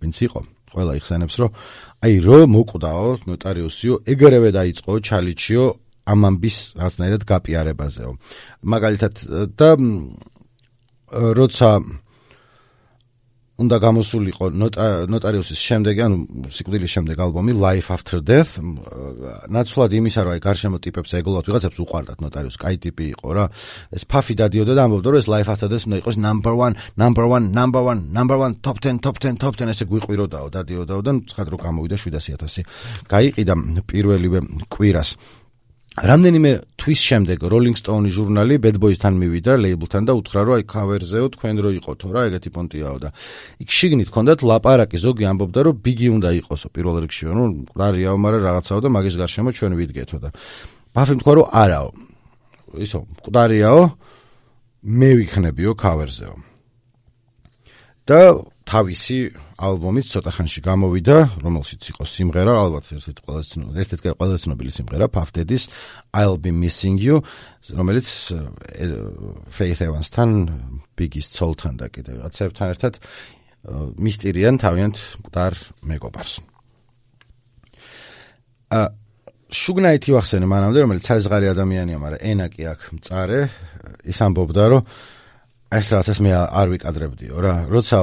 [SPEAKER 1] ვინც იყო, ყველა იხსენებს, რომ აი რომ მოკვდაო ნოტარიუსიო, ეგრევე დაიწყო ჩალიჩიო ამ ამბის რაღაცნაირად გაპიარებაზეო. მაგალითად და როცა უნდა გამოსულიყო ნოტარიუსის შემდეგ, ანუ სიკვდილის შემდეგ ალბომი Life After Death, ნაცვლად იმისა, რომ აი გარშემო ტიპებს ეგოლათ ვიღაცებს უყვარდათ ნოტარიუსი, კაი ტიპი იყო რა. ეს ფაფი დადიოდა და ამბობდა, რომ ეს Life After Death უნდა იყოს number one, number one, number one, number one, top ten, top ten, top ten, ესე გვიყვიროდაო, დადიოდაო და ცხად რო გამოვიდა შვიდასი ათასი. გაიყიდა პირველივე კვირას. რამდენიმე თვის შემდეგ Rolling Stone ჟურნალი Bad Boys-თან მივიდა ლეიბლთან და უთხრა რომ აი ქავერზეო თქვენ რო იყოთო რა ეგეთი პონტიაო და იქ შიგნით ჰქონდათ ლაპარაკი ზოგი ამბობდა რომ ბიგი უნდა იყოსო პირველ რიგში ნუ მკვდარიაო მაგრამ რაღაცაო და მაგის გარშემო ჩვენ ვიდგეთო და ბაფი თქვა რომ არაო ისო მკვდარიაო მე ვიქნებიო ქავერზეო და თავისი ალბომით ცოტა ხანში გამოვიდა, რომელშიც იყო სიმღერა, ალბათ ერთ-ერთი ყველაზე ცნობილი, ერთ-ერთი ყველაზე ცნობილი სიმღერა, Puff Daddy's I'll Be Missing You, რომელიც Faith Evans-თან, Biggie-ის ცოლთან და კიდევ რაღაცებთან ერთად მისტირიან თავიანთ მკვდარ მეგობარს. ა შუგნაითი ვახსენე მანამდე, რომელიც საზღარი ადამიანია, მაგრამ ენა კი აქ მწარე, ის ამბობდა, რომ ეს რაღაცას მე არ ვიკადრებდიო რა, როცა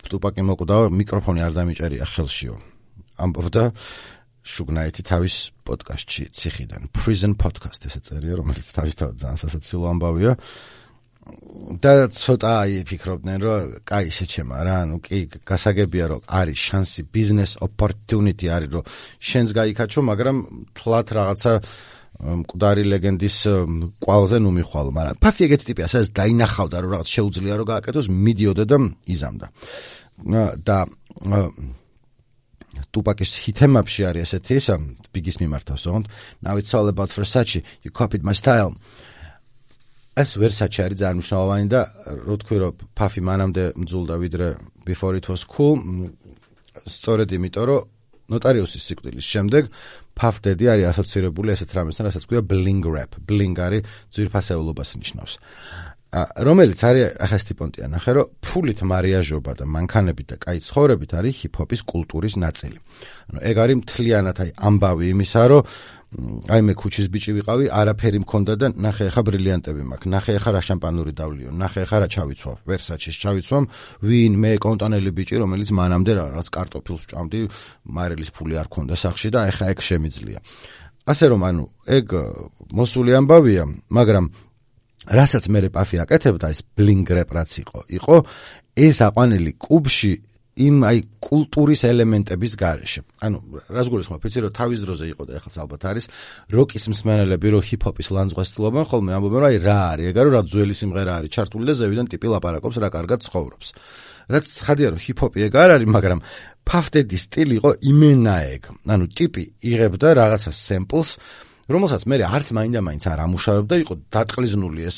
[SPEAKER 1] ტუპაკი მოკვდა, მიკროფონი არ დამიჭერია ხელშიო. ამბობდა შუგნაითი თავის პოდკასტში ციხიდან, Prison Podcast ესე წერია, რომელიც თავისთავად ძალიან სასაცილო ამბავია. და ცოტა აი ფიქრობდნენ, რომ კაი შეჩემა რა, ნუ კი გასაგებია, რომ არის შანსი, business opportunity არის, რომ შენს გაიქაჩო, მაგრამ თლათ რაღაცა მკვდარი ლეგენდის კვალზე ნუ მიხვალო, მაგრამ ფაფი ეგეთი ტიპია, სადაც დაინახავდა, რომ რაღაც შეუძლია რომ გააკეთოს, მიდიოდა და იზამდა. და ტუპაკის ჰითემაპში არის ესეთი ისა, ბიგის მიმართავს, ოღონდ Now it's all about Versace, you copied my style. ეს Versace არის ძალიან მნიშვნელოვანი და რო თქვი რომ ფაფი მანამდე მძულდა ვიდრე Before it was cool, სწორედ იმიტომ რომ ნოტარიუსის სიკვდილის შემდეგ Puff Daddy არის ასოცირებული ესეთ რამესთან, რასაც ქვია bling rap. Bling არის ძვირფასეულობას ნიშნავს. რომელიც არის ახლა სტიპონტია ნახე, რომ ფულით მარიაჟობა და მანქანებით და კაი ცხოვრებით არის ჰიპ-ჰოპის კულტურის ნაწილი. ანუ ეგ არის მთლიანად აი ამბავი იმისა, რომ აი მე ქუჩის ბიჭი ვიყავი, არაფერი მქონდა და ნახე ახლა ბრილიანტები მაქვს, ნახე ახლა რა შამპანური დავლიო, ნახე ახლა რა ჩავიცვავ, Versace-ს ჩავიცვამ, ვინ მე კონტანელი ბიჭი, რომელიც მანამდე რაღაც კარტოფილს ვჭამდი, მარილის ფული არ ქონდა სახში და ახლა ეგ შემიძლია. ასე რომ ანუ ეგ მოსული ამბავია, მაგრამ რასაც მე პაფი აკეთებდა ეს bling rap რაც იყო, იყო ეს აყვანილი კუბში იმ აი კულტურის ელემენტების გარეშე. ანუ რას გულისხმობ, იცი რომ თავის დროზე იყო და ეხლაც ალბათ არის როკის მსმენელები, რომ ჰიპ-ჰოპის ლანძღვას ცდილობენ, ხოლმე ამბობენ, რომ აი რა არის, ეგ არის რა ძველი სიმღერა არის ჩართული და ზევიდან ტიპი ლაპარაკობს, რა კარგად ცხოვრობს. რაც ცხადია, რომ ჰიპ-ჰოპი ეგ არ არის, მაგრამ Puff Daddy-ის სტილი იყო იმენა ეგ. ანუ ტიპი იღებდა რაღაცა samples, რომელსაც მე არც მაინდა-მაინც არ ამუშავებდა, იყო დატყლიზნული ეს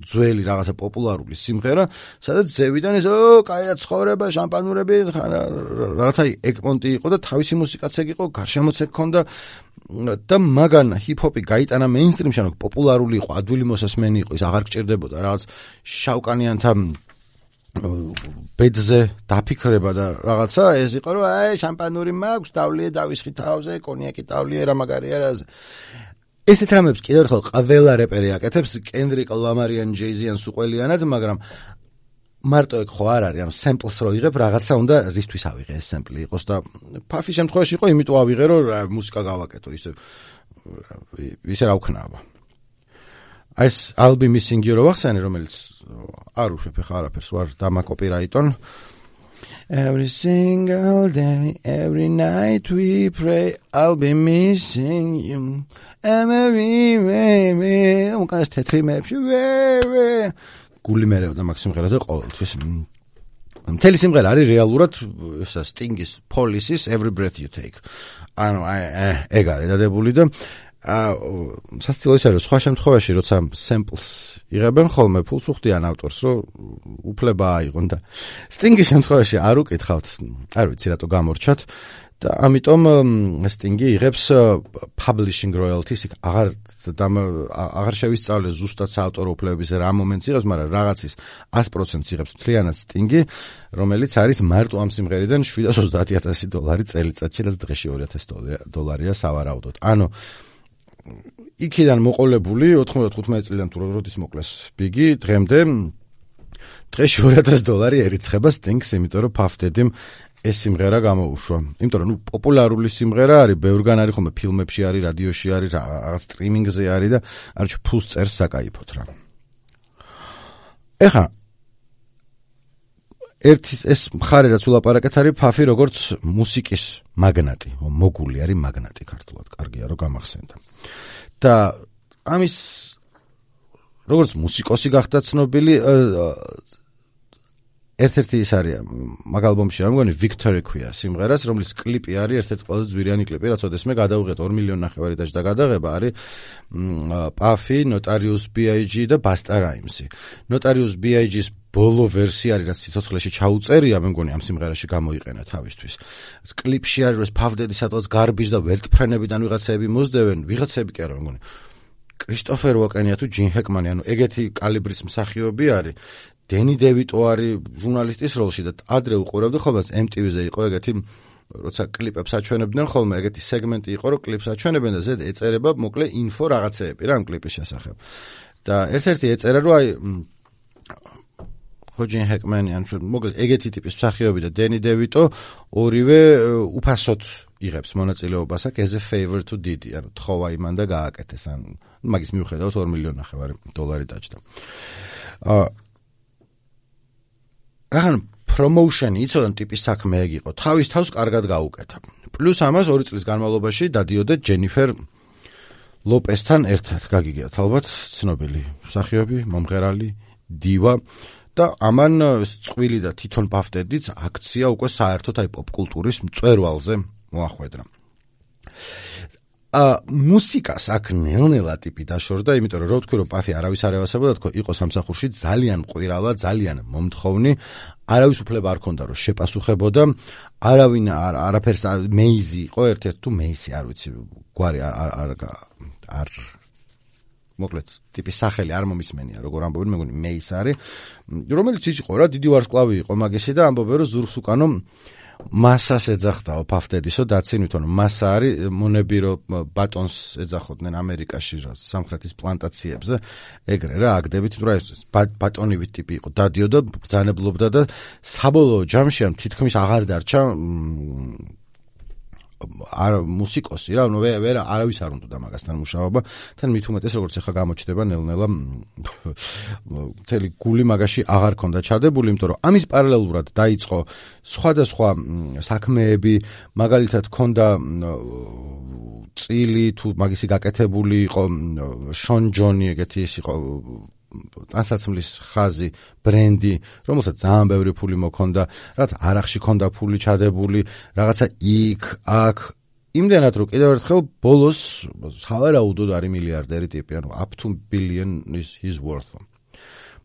[SPEAKER 1] ძველი რაღაცა პოპულარული სიმღერა, სადაც ზევიდან ეს ო, კაია ცხოვრება, შამპანურები, რაღაცა ეგ პონტი იყო და თავისი მუსიკაც ეგ იყო, გარშემოც ეგ ქონდა და მაგან ჰიპ-ჰოპი გაიტანა მეინსტრიმში, ანუ პოპულარული იყო, ადვილი მოსასმენი იყო, ის აღარ გჭირდებოდა რაღაც შავკანიანთა ბედზე დაფიქრება და რაღაცა ეს იყო რომ აი შამპანური მაქვს, დავლიე დავისხი თავზე, კონიაკი დავლიე რა მაგარია რა. ესეთ რამებს კიდევ ერთხელ ყველა რეპერი აკეთებს, Kendrick Lamar ან Jay-Z ან სუყველიანად, მაგრამ მარტო ეგ ხო არ არის, ამ samples რო იღებ, რაღაცა უნდა რისთვის ავიღე ეს sample იყოს და Puff-ის შემთხვევაში იყო, იმიტომ ავიღე რომ მუსიკა გავაკეთო, ისე ისე რა ვქნავა. ეს I'll Be Missing You რო ვახსენე, რომელიც არ უშვებ ხა არაფერს ვარ დამაკოპირაიტონ. Every single day, every night we pray, I'll be missing you. Every way, უკანეს თეთრი მეებში, გული მერევდა მაგ სიმღერაზე ყოველთვის. მთელი სიმღერა არის რეალურად ესა Sting-ის, Police-ის Every Breath You Take. ანუ ეგ არის დადებული და სასწავლო ის არის, სხვა შემთხვევაში, როცა samples იღებენ ხოლმე, ფულს უხდიან ავტორს, რომ უფლება აიღონ და Sting-ის შემთხვევაში არ უკითხავთ, არ ვიცი რატო გამორჩათ და ამიტომ Sting-ი იღებს publishing royalties, აღარ აღარ შევისწავლე ზუსტად საავტორო უფლებების რა მომენტს იღებს, მაგრამ რაღაცის ას პროცენტს იღებს მთლიანად Sting-ი, რომელიც არის მარტო ამ სიმღერიდან შვიდას ოცდაათი ათასი დოლარი წელიწადში, რაც დღეში ორი ათასი დოლარია სავარაუდოდ. ანუ იქიდან მოყოლებული ოთხმოცდათხუთმეტი წლიდან თუ როდის მოკლეს ბიგი, დღემდე დღეში ორი ათასი დოლარი ერიცხება Sting-ს, იმიტომ რომ Puff Daddy-მ ეს სიმღერა გამოუშვა. იმიტომ რომ ნუ პოპულარული სიმღერა არის, ბევრგან არის ხოლმე ფილმებში არის, რადიოში არის, რაღაც სტრიმინგზე არის და არჩ ფულს წერს საკაიფოთ რა. ეხა ერთი ეს მხარე რაც ულაპარაკეთ არის ფაფი როგორც მუსიკის მაგნატი, მოგული არის მაგნატი ქართულად, კარგია რომ გამახსენდა. და ამის როგორც მუსიკოსი გახდა ცნობილი ერთ-ერთი ის არის მაგ ალბომში რა მგონი Victory ქვია სიმღერას, რომლის კლიპი არის ერთ-ერთი ყველაზე ძვირიანი კლიპი, რაც ოდესმე გადავიღეთ ორი მილიონი ნახევარი და გადაღება არის Puffy, Notorious B I G და Busta Rhymes. Notorious B I G-ს ბოლო ვერსია არის, რაც სიცოცხლეში ჩაუწერია, მე მგონი ამ სიმღერაში გამოიყენა თავისთვის. კლიპში არის რომ ფავდედი სადღაც გარბის და ვერტფრენებიდან ვიღაცები მოსდევენ, ვიღაცები კი არა, მე მგონი კრისტოფერ უოკენია თუ ჯინ ჰეკმანი, ანუ ეგეთი კალიბრის მსახიობი არის. დენი დევიტო არის ჟურნალისტის როლში და ადრე უყურებდი ხოლმე M T V-ზე იყო ეგეთი როცა კლიპებს აჩვენებდნენ ხოლმე ეგეთი სეგმენტი იყო რომ კლიპს აჩვენებენ და ზედ ეწერება მოკლე ინფო რაღაცეები რა ამ კლიპის შესახებ. და ერთ-ერთი ეწერა რომ აი ხოჯინ ჰეკმანი ან მოკლედ ეგეთი ტიპის მსახიობი და დენი დევიტო ორივე უფასოდ იღებს მონაწილეობას აქ as a favor to Diddy, ანუ თხოვა იმან და გააკეთეს ან მაგის მიუხედავად ორი მილიონი ნახევარი დოლარი დაჯდა. აა რახან პრომოუშენი იცოდან ტიპის საქმე ეგ იყო, თავის თავს კარგად გაუკეთა. პლუს ამას ორი წლის განმავლობაში დადიოდა ჯენიფერ ლოპესთან ერთად, გაგიგიათ ალბათ, ცნობილი მსახიობი, მომღერალი, დივა და ამან წყვილი და თვითონ ბაფტედიც აქცია უკვე საერთოდ აი პოპკულტურის მწვერვალზე მოახვედრა. ა მუსიკას აქ ნელ-ნელა ტიპი დაშორდა, იმიტომ რომ რო თქვი რომ პაფი არავის არ ევასებოდა, თქო იყო სამსახურში ძალიან ყვირალა, ძალიან მომთხოვნი, არავის უფლება არ ქონდა რომ შეპასუხებოდა, არავინ არაფერს მეიზი იყო, ერთ-ერთი თუ მეისი არ ვიცი, გვარი არ არ არ მოკლედ ტიპის სახელი არ მომისმენია, როგორ ამბობენ, მე მგონი მეის არის, რომელიც ის იყო რა, დიდი ვარსკვლავი იყო მაგისი და ამბობენ რომ ზურგს უკანო მასას ეძახდაო ფავდედისო დაცინვითონ მასა არის მონები რომ ბატონს ეძახოდნენ ამერიკაში სამხრეთის პლანტაციებზე ეგრე რა აგდებით რომ ეს ბატონივით ტიპი იყო დადიოდა ბრძანებლობდა და საბოლოო ჯამში ამ თითქმის აღარ დარჩა არ მუსიკოსი რა ნუ ვერ არავის არ უნდა მაგასთან მუშაობა თან მით უმეტეს როგორც ახლა გამოჩნდება ნელ-ნელა მთელი გული მაგაში აღარ ქონდა ჩადებული იმიტომ რომ ამის პარალელურად დაიწყო სხვადასხვა საქმეები მაგალითად ქონდა წილი თუ მაგისი გაკეთებული იყო შონ ჯონი ეგეთი ის იყო ტანსაცმლის ხაზი ბრენდი რომელსაც ძალიან ბევრი ფული მოქონდა რაც არახში ქონდა ფული ჩადებული რაღაცა იქ აქ იმდენად რომ კიდევ ერთხელ ბოლოს სავარაუდოდ არის მილიარდერი ტიპი ანუ up to billion is his worth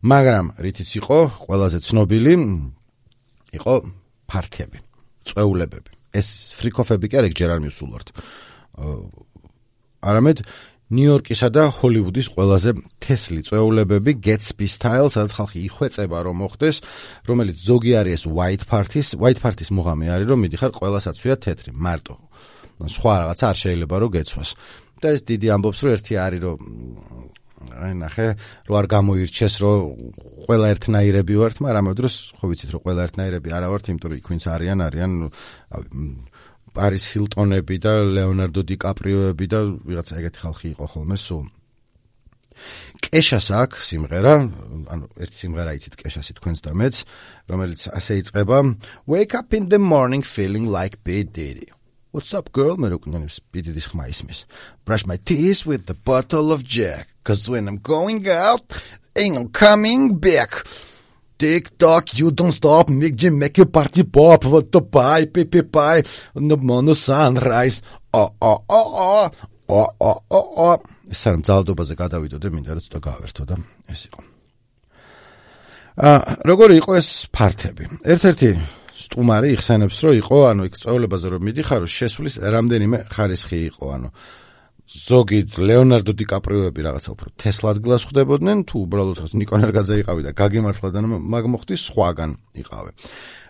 [SPEAKER 1] მაგრამ რითიც იყო ყველაზე ცნობილი იყო ფართები წვეულებები ეს ფრიკოფები კი არ ეგ ჯერ არ მისულვართ არამედ ნიუ-იორკისა და ჰოლივუდის ყველაზე თესლი წვეულებები Gatsby style, სადაც ხალხი იხვეწება რომ მოხდეს, რომელიც ზოგი არის ეს white party-ს, white party-ს მუღამი არის რომ მიდიხარ ყველასაცვია თეთრი, მარტო. სხვა რაღაცა არ შეიძლება რომ გეცვას. და ეს დიდი ამბობს რომ ერთი არის რომ აი ნახე, რომ არ გამოირჩეს რომ ყველა ერთნაირები ვართ, მაგრამ ამ დროს ხო ვიცით რომ ყველა ერთნაირები არა ვართ, იმიტომ რომ იქ ვინც არიან, არიან Paris Hiltonები და Leonardo DiCaprioები და ვიღაცა ეგეთი ხალხი იყო ხოლმე სულ. კეშას აქვს სიმღერა, ანუ ერთი სიმღერა იცით კეშასი თქვენს და მეც, რომელიც ასე იწყება Wake up in the morning feeling like P Diddy. What's up girl? მე როკნანი P Diddy-ს ხმა ისმის. Brush my teeth with the bottle of Jack, cause when I'm going out, ain't no coming back. Tick tock, you don't stop, make Jim make a party pop, what the pie, pee pie, no mono sunrise. Oh, oh, oh, oh, oh, oh, oh, oh. სამ ძალადობაზე გადავიდოდე, მინდა რომ ცოტა გავერთო და ეს იყო. აა, როგორი იყო ეს ფართები? ერთ-ერთი სტუმარი იხსენებს, რომ იყო, ანუ იქ წვეულებაზე რომ მიდიხარო, შესulis რამდენიმე ხარისხი იყო, ანუ ზოგი ლეონარდო დიკაპრიოები რაღაცა უფრო თესლადგილას ხვდებოდნენ თუ უბრალოდ ნიკონერგაძე იყავი და გაგიმართლა და მაგ მოხდი სხვაგან იყავე.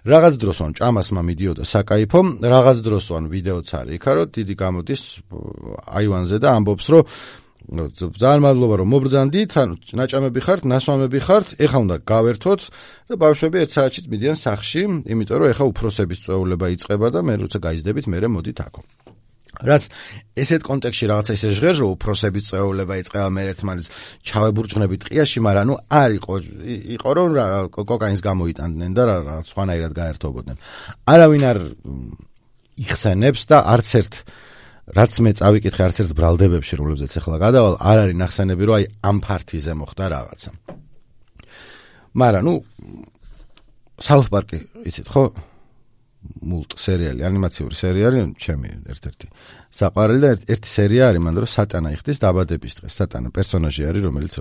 [SPEAKER 1] რაღაც დროს ან ჭამასმა მიდიოდა საკაიფო, რაღაც დროს ან ვიდეოც არის იქა რომ დიდი გამოდის აივანზე და ამბობს რომ ძალიან მადლობა რომ მობრძანდით, ანუ ნაჭამები ხართ, ნასვამები ხართ, ეხა უნდა გავერთოთ და ბავშვები ერთ საათში მიდიან სახლში, იმიტომ რომ ეხა უფროსების წვეულება იწყება და მე როცა გაიზდებით, მე მოდით აქო. რაც ესეთ კონტექსტში რაღაცა ისე ჟღერს, რომ უფროსების წვეულება იწყება მე ერთმანეთს ჩავებურჭნებით ტყიაში, მაგრამ ნუ არ იყო, იყო რომ კოკაინს გამოიტანდნენ და რაღაც სხვანაირად გაერთობოდნენ. არავინ არ იხსენებს და არც ერთ რაც მე წავიკითხე არც ერთ ბრალდებებში, რომლებზეც ახლა გადავალ, არ არის ნახსენები, რომ აი ამ ფართიზე მოხდა რაღაცა. მაგრამ ნუ South Park-ი, იცით ხო? მულტ სერიალი, ანიმაციური სერიალი, ჩემი ერთ-ერთი საყვარელი და ერთი სერია არის, მანდ რომ სატანა იხდის დაბადების დღეს. სატანა პერსონაჟი არის, რომელიც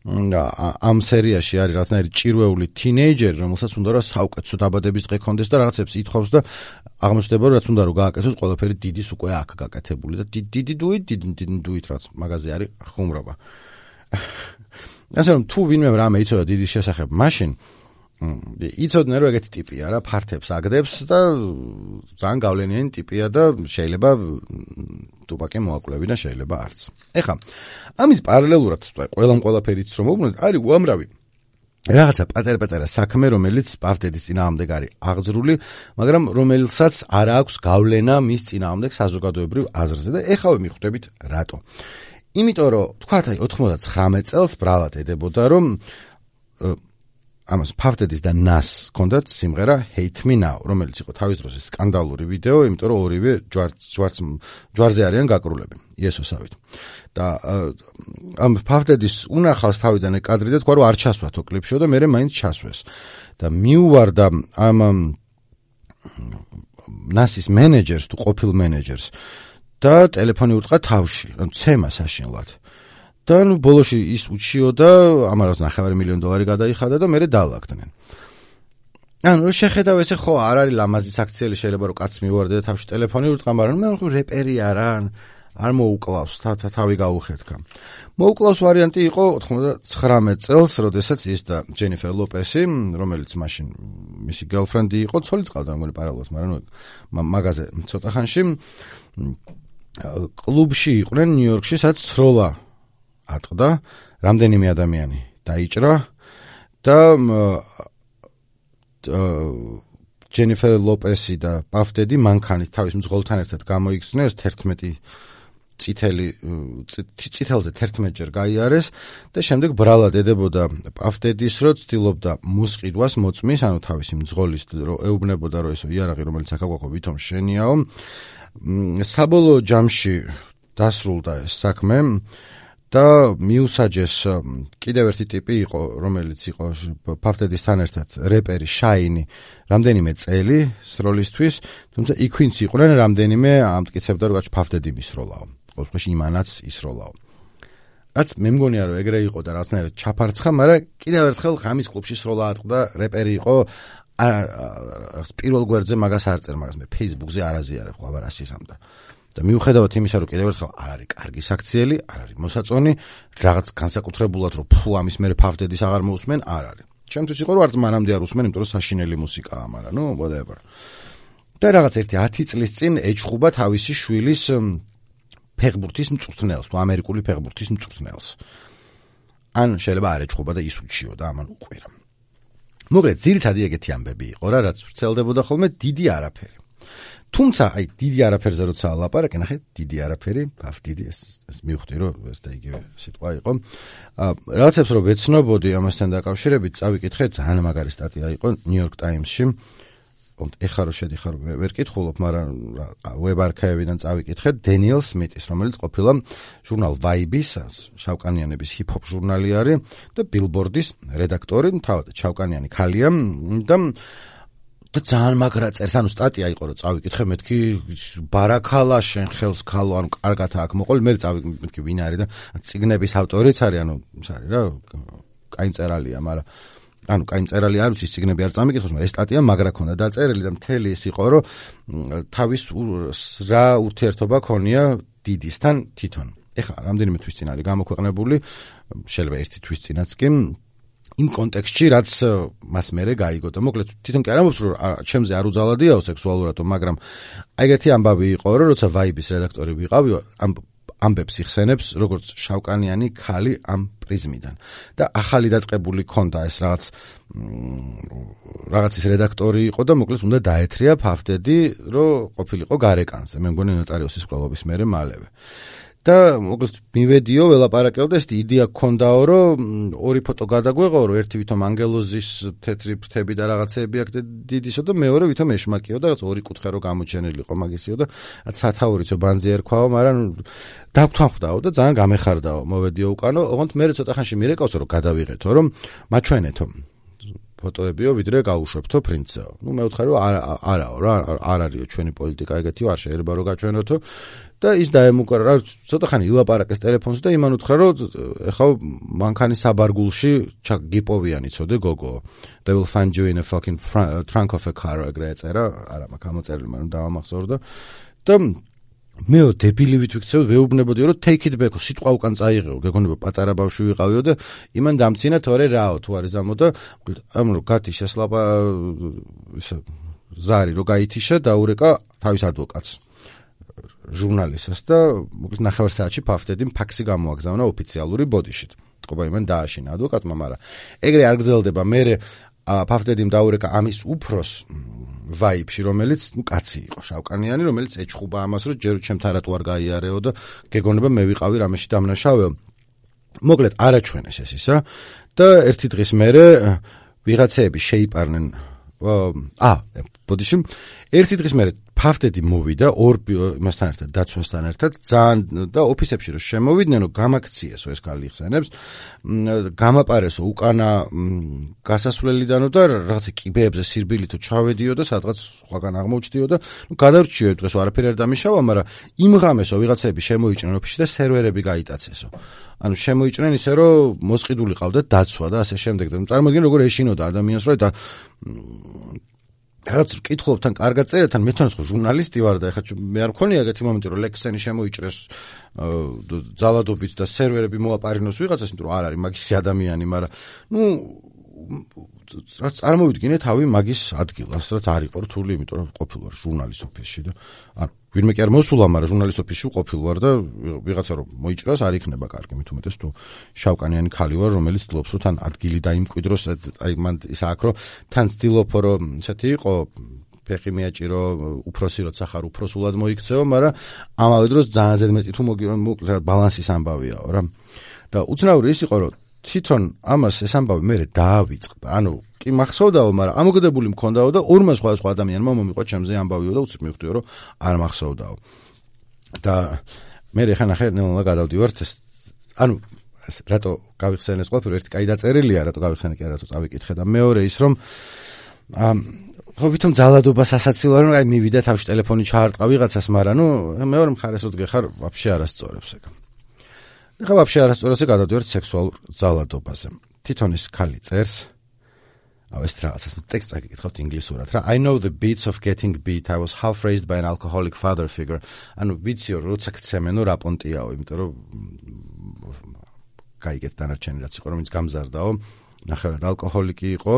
[SPEAKER 1] რა ამ სერიაში არის რაღაცნაირი ჭირვეული თინეიჯერი, რომელსაც უნდა რომ საუკეთესო დაბადების დღე ქონდეს და რაღაცებს ითხოვს და აღმოჩნდება რომ რაც უნდა რომ გააკეთოს, ყველაფერი დიდის უკვე აქ გაკეთებული და დიდი დუით, დიდი დუით რაც მაგაზე არის ხუმრობა. ასე რომ თუ ვინმე რამე იცოდა დიდის შესახებ, მაშინ იცოდნენ რომ ეგეთი ტიპია რა, ფართებს აგდებს და ძალიან გავლენიანი ტიპია და შეიძლება ტუპაკი მოაკლევი და შეიძლება არც. ეხლა ამის პარალელურად ყველამ ყველაფერიც რომ მოვუბრუნოთ, არის უამრავი რაღაცა პატარ-პატარა საქმე, რომელიც პავდედის წინააღმდეგ არის აღძრული, მაგრამ რომელსაც არ აქვს გავლენა მის წინააღმდეგ საზოგადოებრივ აზრზე და ეხლა მიხვდებით რატო. იმიტომ რომ თქვათ აი ოცდათხმეტ წელს ბრალად ედებოდა რომ ამას ფავდედის და ნას ჰქონდათ სიმღერა Hate Me Now, რომელიც იყო თავის დროზე სკანდალური ვიდეო, იმიტომ რომ ორივე ჯვარზე არიან გაკრულები, იესოსავით. და ამ ფავდედის უნახავს თავიდან ეგ კადრი და თქვა რომ არ ჩასვათო კლიპშო და მერე მაინც ჩასვეს. და მიუვარდა ამ ნასის მენეჯერს თუ ყოფილ მენეჯერს და ტელეფონი ურტყა თავში, ცემა საშინლად. და ნუ ბოლოში ის უჩიოდა, ამარავს ნახევარი მილიონი დოლარი გადაიხადა და მერე დაალაგდნენ. ანუ შეხედავ ესე ხო არ არის ლამაზი საქციელი, შეიძლება რომ კაც მივარდე და თავში ტელეფონი ურტყა, მაგრამ მე ხო რეპერი არა, არ მოუკლავს, თავი გაუხეთქა. მოუკლავს ვარიანტი იყო ოცდათხმეტ წელს, როდესაც ის და ჯენიფერ ლოპესი, რომელიც მაშინ მისი გერლფრენდი იყო, ცოლი წავდა რომელი პარალელს, მაგრამ ნუ მაგაზე ცოტა ხანში კლუბში იყვნენ ნიუ-იორკში, სადაც სროლა ატყდა, რამდენიმე ადამიანი დაიჭრა და ჯენიფერ ლოპესი და პავდედი მანქანით თავის მძღოლთან ერთად გამოიქცნენ, თერთმეტი წითელი წითელზე თერთმეტჯერ გაიარეს და შემდეგ ბრალად ედებოდა პავდედის, რომ ცდილობდა მოსყიდვას მოწმის, ანუ თავისი მძღოლის ეუბნებოდა, რომ ესო იარაღი, რომელიც აქ აგვაქვს, ვითომ შენიაო. საბოლოო ჯამში დასრულდა ეს საქმე და მიუსაჯეს კიდევ ერთი ტიპი იყო, რომელიც იყო ფავდედისთან ერთად რეპერი შაინი რამდენიმე წელი სროლისთვის, თუმცა იქ ვინც იყვნენ რამდენიმე ამტკიცებდა, რომ ფავდედი მისროლაო. ყოველთვის იმანაც ისროლაო. რაც მე მგონია რომ ეგრე იყო და რაღაცნაირად ჩაფარცხა, მაგრამ კიდევ ერთხელ ხამის კლუბში სროლა ატყდა, რეპერი იყო, პირველ გვერდზე მაგას არ წერ, მაგას მე Facebook-ზე არ აზიარებ, ხო აბა რას ისამდა. და მიუხედავად იმისა, რომ კიდევ ერთხელ არ არის კარგი საქციელი, არ არის მოსაწონი, რაღაც განსაკუთრებულად რომ ფუ ამის მერე ფავდედის აღარ მოусმენ, არ არის. ჩემთვის იყო რომ არც მანამდე არ უსმენ, იმიტომ რომ საშინელი მუსიკაა, მაგრამ ნუ whatever. და რაღაც ერთი ათი წლის წინ ეჩხუბა თავისი შვილის ფეხბურთის მწვრთნელს, თუ ამერიკული ფეხბურთის მწვრთნელს. ან შეიძლება არ ეჩხუბა და ის უჩიოდა, ამან უყვირა. მოკლედ, ძირითადი ეგეთი ამბები იყო რა, რაც ვრცელდებოდა ხოლმე დიდი არაფერი. თუმცა, აი, დიდი არაფერზე როცა ლაპარაკი, ნახე, დიდი არაფერი, ბავ, დიდი ეს, ეს მივხვდი, რომ ეს და იგივე სიტყვა იყო. რაღაცებს რომ ვეცნობოდი ამასთან დაკავშირებით, წავიკითხე, ძალიან მაგარი სტატია იყო New York Times-ში. ეხლა რომ შედიხარ ვერ კითხულობ, მაგრამ web archive-დან წავიკითხე დენიელ სმიტის, რომელიც ყოფილა ჟურნალ Vibe-ის, შავკანიანების ჰიპ-ჰოპ ჟურნალი არის და Billboard-ის რედაქტორი, თავად შავკანიანი ქალია და და ძალიან მაგრა წერს, ანუ სტატია იყო რომ წავიკითხე, მეთქი ბარაქალა შენ ხელს ქალო, ანუ კარგად აქ მოყოლ, მე წავიკითხე, მეთქი ვინ არის და წიგნების ავტორიც არის, ანუ ის არის რა, კაი მწერალია, მაგრამ ანუ კაი მწერალი არ ვიცი, ციგნები არ წამიკითხოს, მაგრამ ეს სტატია მაგრა ქონდა დაწერილი და მთელი ის იყო, რომ თავის რა ურთიერთობა ქონია დიდისთან თვითონ. ეხლა რამდენიმე თვის წინ არის გამოქვეყნებული, შეიძლება ერთი თვის წინაც კი, იმ კონტექსტში, რაც მას მერე გაიგო და მოკლედ თვითონ კი არ ამბობს, რომ ჩემზე არ უძალადიაო სექსუალურადო, მაგრამ აი ეგეთი ამბავი იყო, რომ როცა Vibe-ის რედაქტორი ვიყავი, ამ ამბებს იხსენებს როგორც შავკანიანი ქალი ამ პრიზმიდან და ახალი დაწყებული ქონდა ეს რაღაც რაღაცის რედაქტორი იყო და მოკლედ უნდა დაეთრია ფავდედი რომ ყოფილიყო გარეკანზე მე მგონი ნოტარიუსის კვლავობის მერე მალევე და მოკლედ მივედიო ველაპარაკეო და ეს იდეა გქონდაო რომ ორი ფოტო გადაგვეღო რომ ერთი ვითომ ანგელოზის თეთრი ფრთები და რაღაცეები აქ დიდისო და მეორე ვითომ ეშმაკიო და რაღაც ორი კუთხე რო გამოჩენილიყო მაგისიო და სათაურიცო ბანძი ერქვაო მაგრამ დაგთანხმდაო და ძალიან გამეხარდაო მოვედიო უკანო ოღონდ მე ცოტა ხანში მირეკავსო რომ გადავიღეთო რომ მაჩვენეთო ფოტოებიო ვიდრე გაუშვებთო პრინცსაო ნუ მე ვთხარი რომ არაო რა არ არისო ჩვენი პოლიტიკა ეგეთიო არ შეიძლება რომ გაჩვენოთო და ის დაემუქრა რა ცოტა ხანი ილაპარაკეს ტელეფონზე და იმან უთხრა რომ ეხლა მანქანის საბარგულში გიპოვიანი ცოდე გოგო they will find you in a fucking trunk of a car ეგრე ეწერა არა მაგ გამოწერილი მაგრამ დავამახსოვრდა და მე დებილივით ვიქცევ ვეუბნებოდიო რომ take it back სიტყვა უკან წაიღეო გეგონება პატარა ბავშვი ვიყავიო და იმან დამცინა თორე რაო თუ არის ამო და ამ რო გათიშა სლაპა ზარი რო გაითიშა დაურეკა თავის ადვოკატს ჟურნალისტს და მოკლედ ნახევარ საათში ფავდედიმ ფაქსი გამოაგზავნა ოფიციალური ბოდიშით. თქობა იმან დააშინა ადვოკატმა, მაგრამ ეგრე არ გრძელდება. მე ფავდედიმ დაურეკა ამის უფროს ვაიბში, რომელიც ნუ კაცი იყო, შავკანიანი, რომელიც ეჩხუბა ამას, რომ ჯერ ჩემთან რატო არ გაიარეო და გეგონება მე ვიყავი რამეში დამნაშავეო. მოკლედ არაჩვენეს ეს ისა და ერთი დღის მერე ვიღაცეები შეიპარნენ აა ბოდიში ერთი დღის მერე ფავდედი მოვიდა ორ იმასთან ერთად დაცვასთან ერთად ძალიან და ოფისებში რომ შემოვიდნენ რომ გამაქციესო ეს ქალი იხსენებს გამაპარესო უკანა გასასვლელიდანო და რაღაცა კიბეებზე სირბილითო ჩავედიო და სადღაც სხვაგან აღმოჩდიო და ნუ გადავრჩიო დღეს არაფერი არ დამიშავა მაგრამ იმ ღამესო ვიღაცები შემოიჭრნენ ოფისში და სერვერები გაიტაცესო ანუ შემოიჭრნენ ისე რომ მოსყიდული ყავდა დაცვა და ასე შემდეგ და წარმოგიდგენ როგორ ეშინოდა ადამიანს რომ და რაც კითხულობთან კარგად წერეთთან მე თან ხო ჟურნალისტი ვარ და ეხლა მე არ მქონია ეგეთი მომენტი რომ ლექსენი შემოიჭრეს ძალადობით და სერვერები მოაპარინოს ვიღაცას იმიტომ რომ არ არის მაგისი ადამიანი მაგრამ ნუ რაც წარმოვიდგინე თავი მაგის ადგილას რაც არ იყო რთული იმიტომ რომ ყოფილ ვარ ჟურნალის ოფისში და ანუ ვინმე კი არ მოსულა მაგრამ ჟურნალის ოფისში ყოფილ ვარ და ვიღაცა რომ მოიჭრას არ იქნება კარგი მით უმეტეს თუ შავკანიანი ქალი ვარ რომელიც ცდილობს რომ თან ადგილი დაიმკვიდროს აი მან ის აქ რომ თან ცდილობ რომ ისეთი იყო ფეხი მიაჭირო უფროსი როცა ხარ უფროსულად მოიქცეო მაგრამ ამავე დროს ძალიან ზედმეტი თუ ბალანსის ამბავიაო რა და უცნაური ის იყო რომ თვითონ ამას ეს ამბავი მე დაავიწყდა ანუ კი მახსოვდაო მაგრამ ამოგდებული მქონდაო და ორმა სხვადასხვა ადამიანმა მომიყვა ჩემზე ამბავიო და უცებ მივხვდიო რომ არ მახსოვდაო და მე ხა ნახე ნელა გადავდივართ ეს ანუ რატო გავიხსენეს ყველაფერი ერთი კაი დაწერილია რატო გავიხსენე კი რატო წავიკითხე და მეორე ის რომ ხო ვითომ ძალადობას ასაცილო რომ აი მივიდა თავში ტელეფონი ჩაარტყა ვიღაცას მაგრამ ნუ მეორე მხარეს რო დგეხარ ვაფშე არასწორებს ეგ ხა ვაფშე არასწორებს გადავდივართ სექსუალურ ძალადობაზე თვითონ ის ქალი წერს აუ ეს რაღაცას ტექსტს აკითხავთ ინგლისურად რა I know the beats of getting beat I was half raised by an alcoholic father figure ანუ ვიციო როცა გცემენო რა პონტიაო იმიტომ რომ გაიგეთ დანარჩენი რაც იყო რომ ის გამზარდაო ნახევრად ალკოჰოლიკი იყო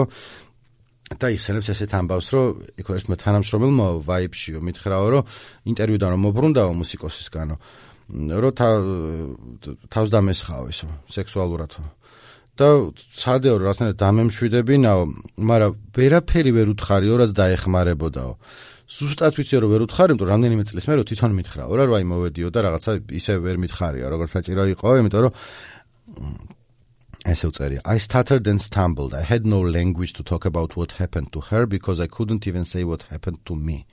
[SPEAKER 1] და იხსენებს ესეთ ამბავს რომ იქ ერთმა თანამშრომელმა ვაიბშიო მითხრაო რომ ინტერვიუდან რომ მობრუნდაო მუსიკოსისგანო რომ თავს დამესხაო ისო სექსუალურად და ცადეო რაღაცნაირად დამემშვიდებინაო მაგრამ ვერაფერი ვერ უთხარიო რაც დაეხმარებოდაო ზუსტად ვიციო რომ ვერ უთხარი იმიტომ რამდენიმე წლის მერე თვითონ მითხრაო რა რომ აი მოვედიო და რაღაცა ისე ვერ მითხარია როგორც საჭირო იყო იმიტომ რომ ესე უწერია I stuttered and stumbled I had no language to talk about what happened to her because I couldn't even say what happened to me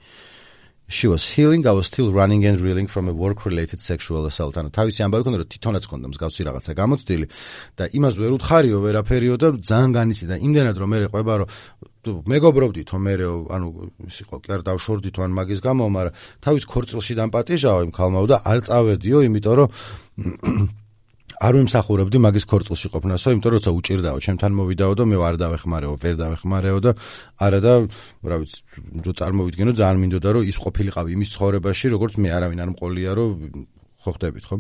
[SPEAKER 1] She was healing, I was still running and reeling from a work-related sexual assault. ანუ თავისი ამბავი ქონდა, რომ თვითონაც ქონდა მსგავსი რაღაცა გამოცდილი და იმას ვერ უთხარიო ვერაფერიო და ძალიან განიცდი და იმდენად რომ მე ყვება რომ მეგობრობდითო მე ანუ ის იყო კი არ დავშორდითო ან მაგის გამო, მაგრამ თავის ქორწილში დამპატიჟაო იმ ქალმაო და არ წავედიო, იმიტომ რომ არ ვიმსახურებდი მაგის ქორწილში ყოფნასო, იმიტომ რომ როცა უჭირდაო, ჩემთან მოვიდაო და მე არ დავეხმარეო, ვერ დავეხმარეო და არა და რა ვიცი, რო წარმოვიდგენო, ძალიან მინდოდა რომ ის ყოფილიყავი იმის ცხოვრებაში, როგორც მე არავინ არ მყოლია, რომ ხო ხდებით, ხო?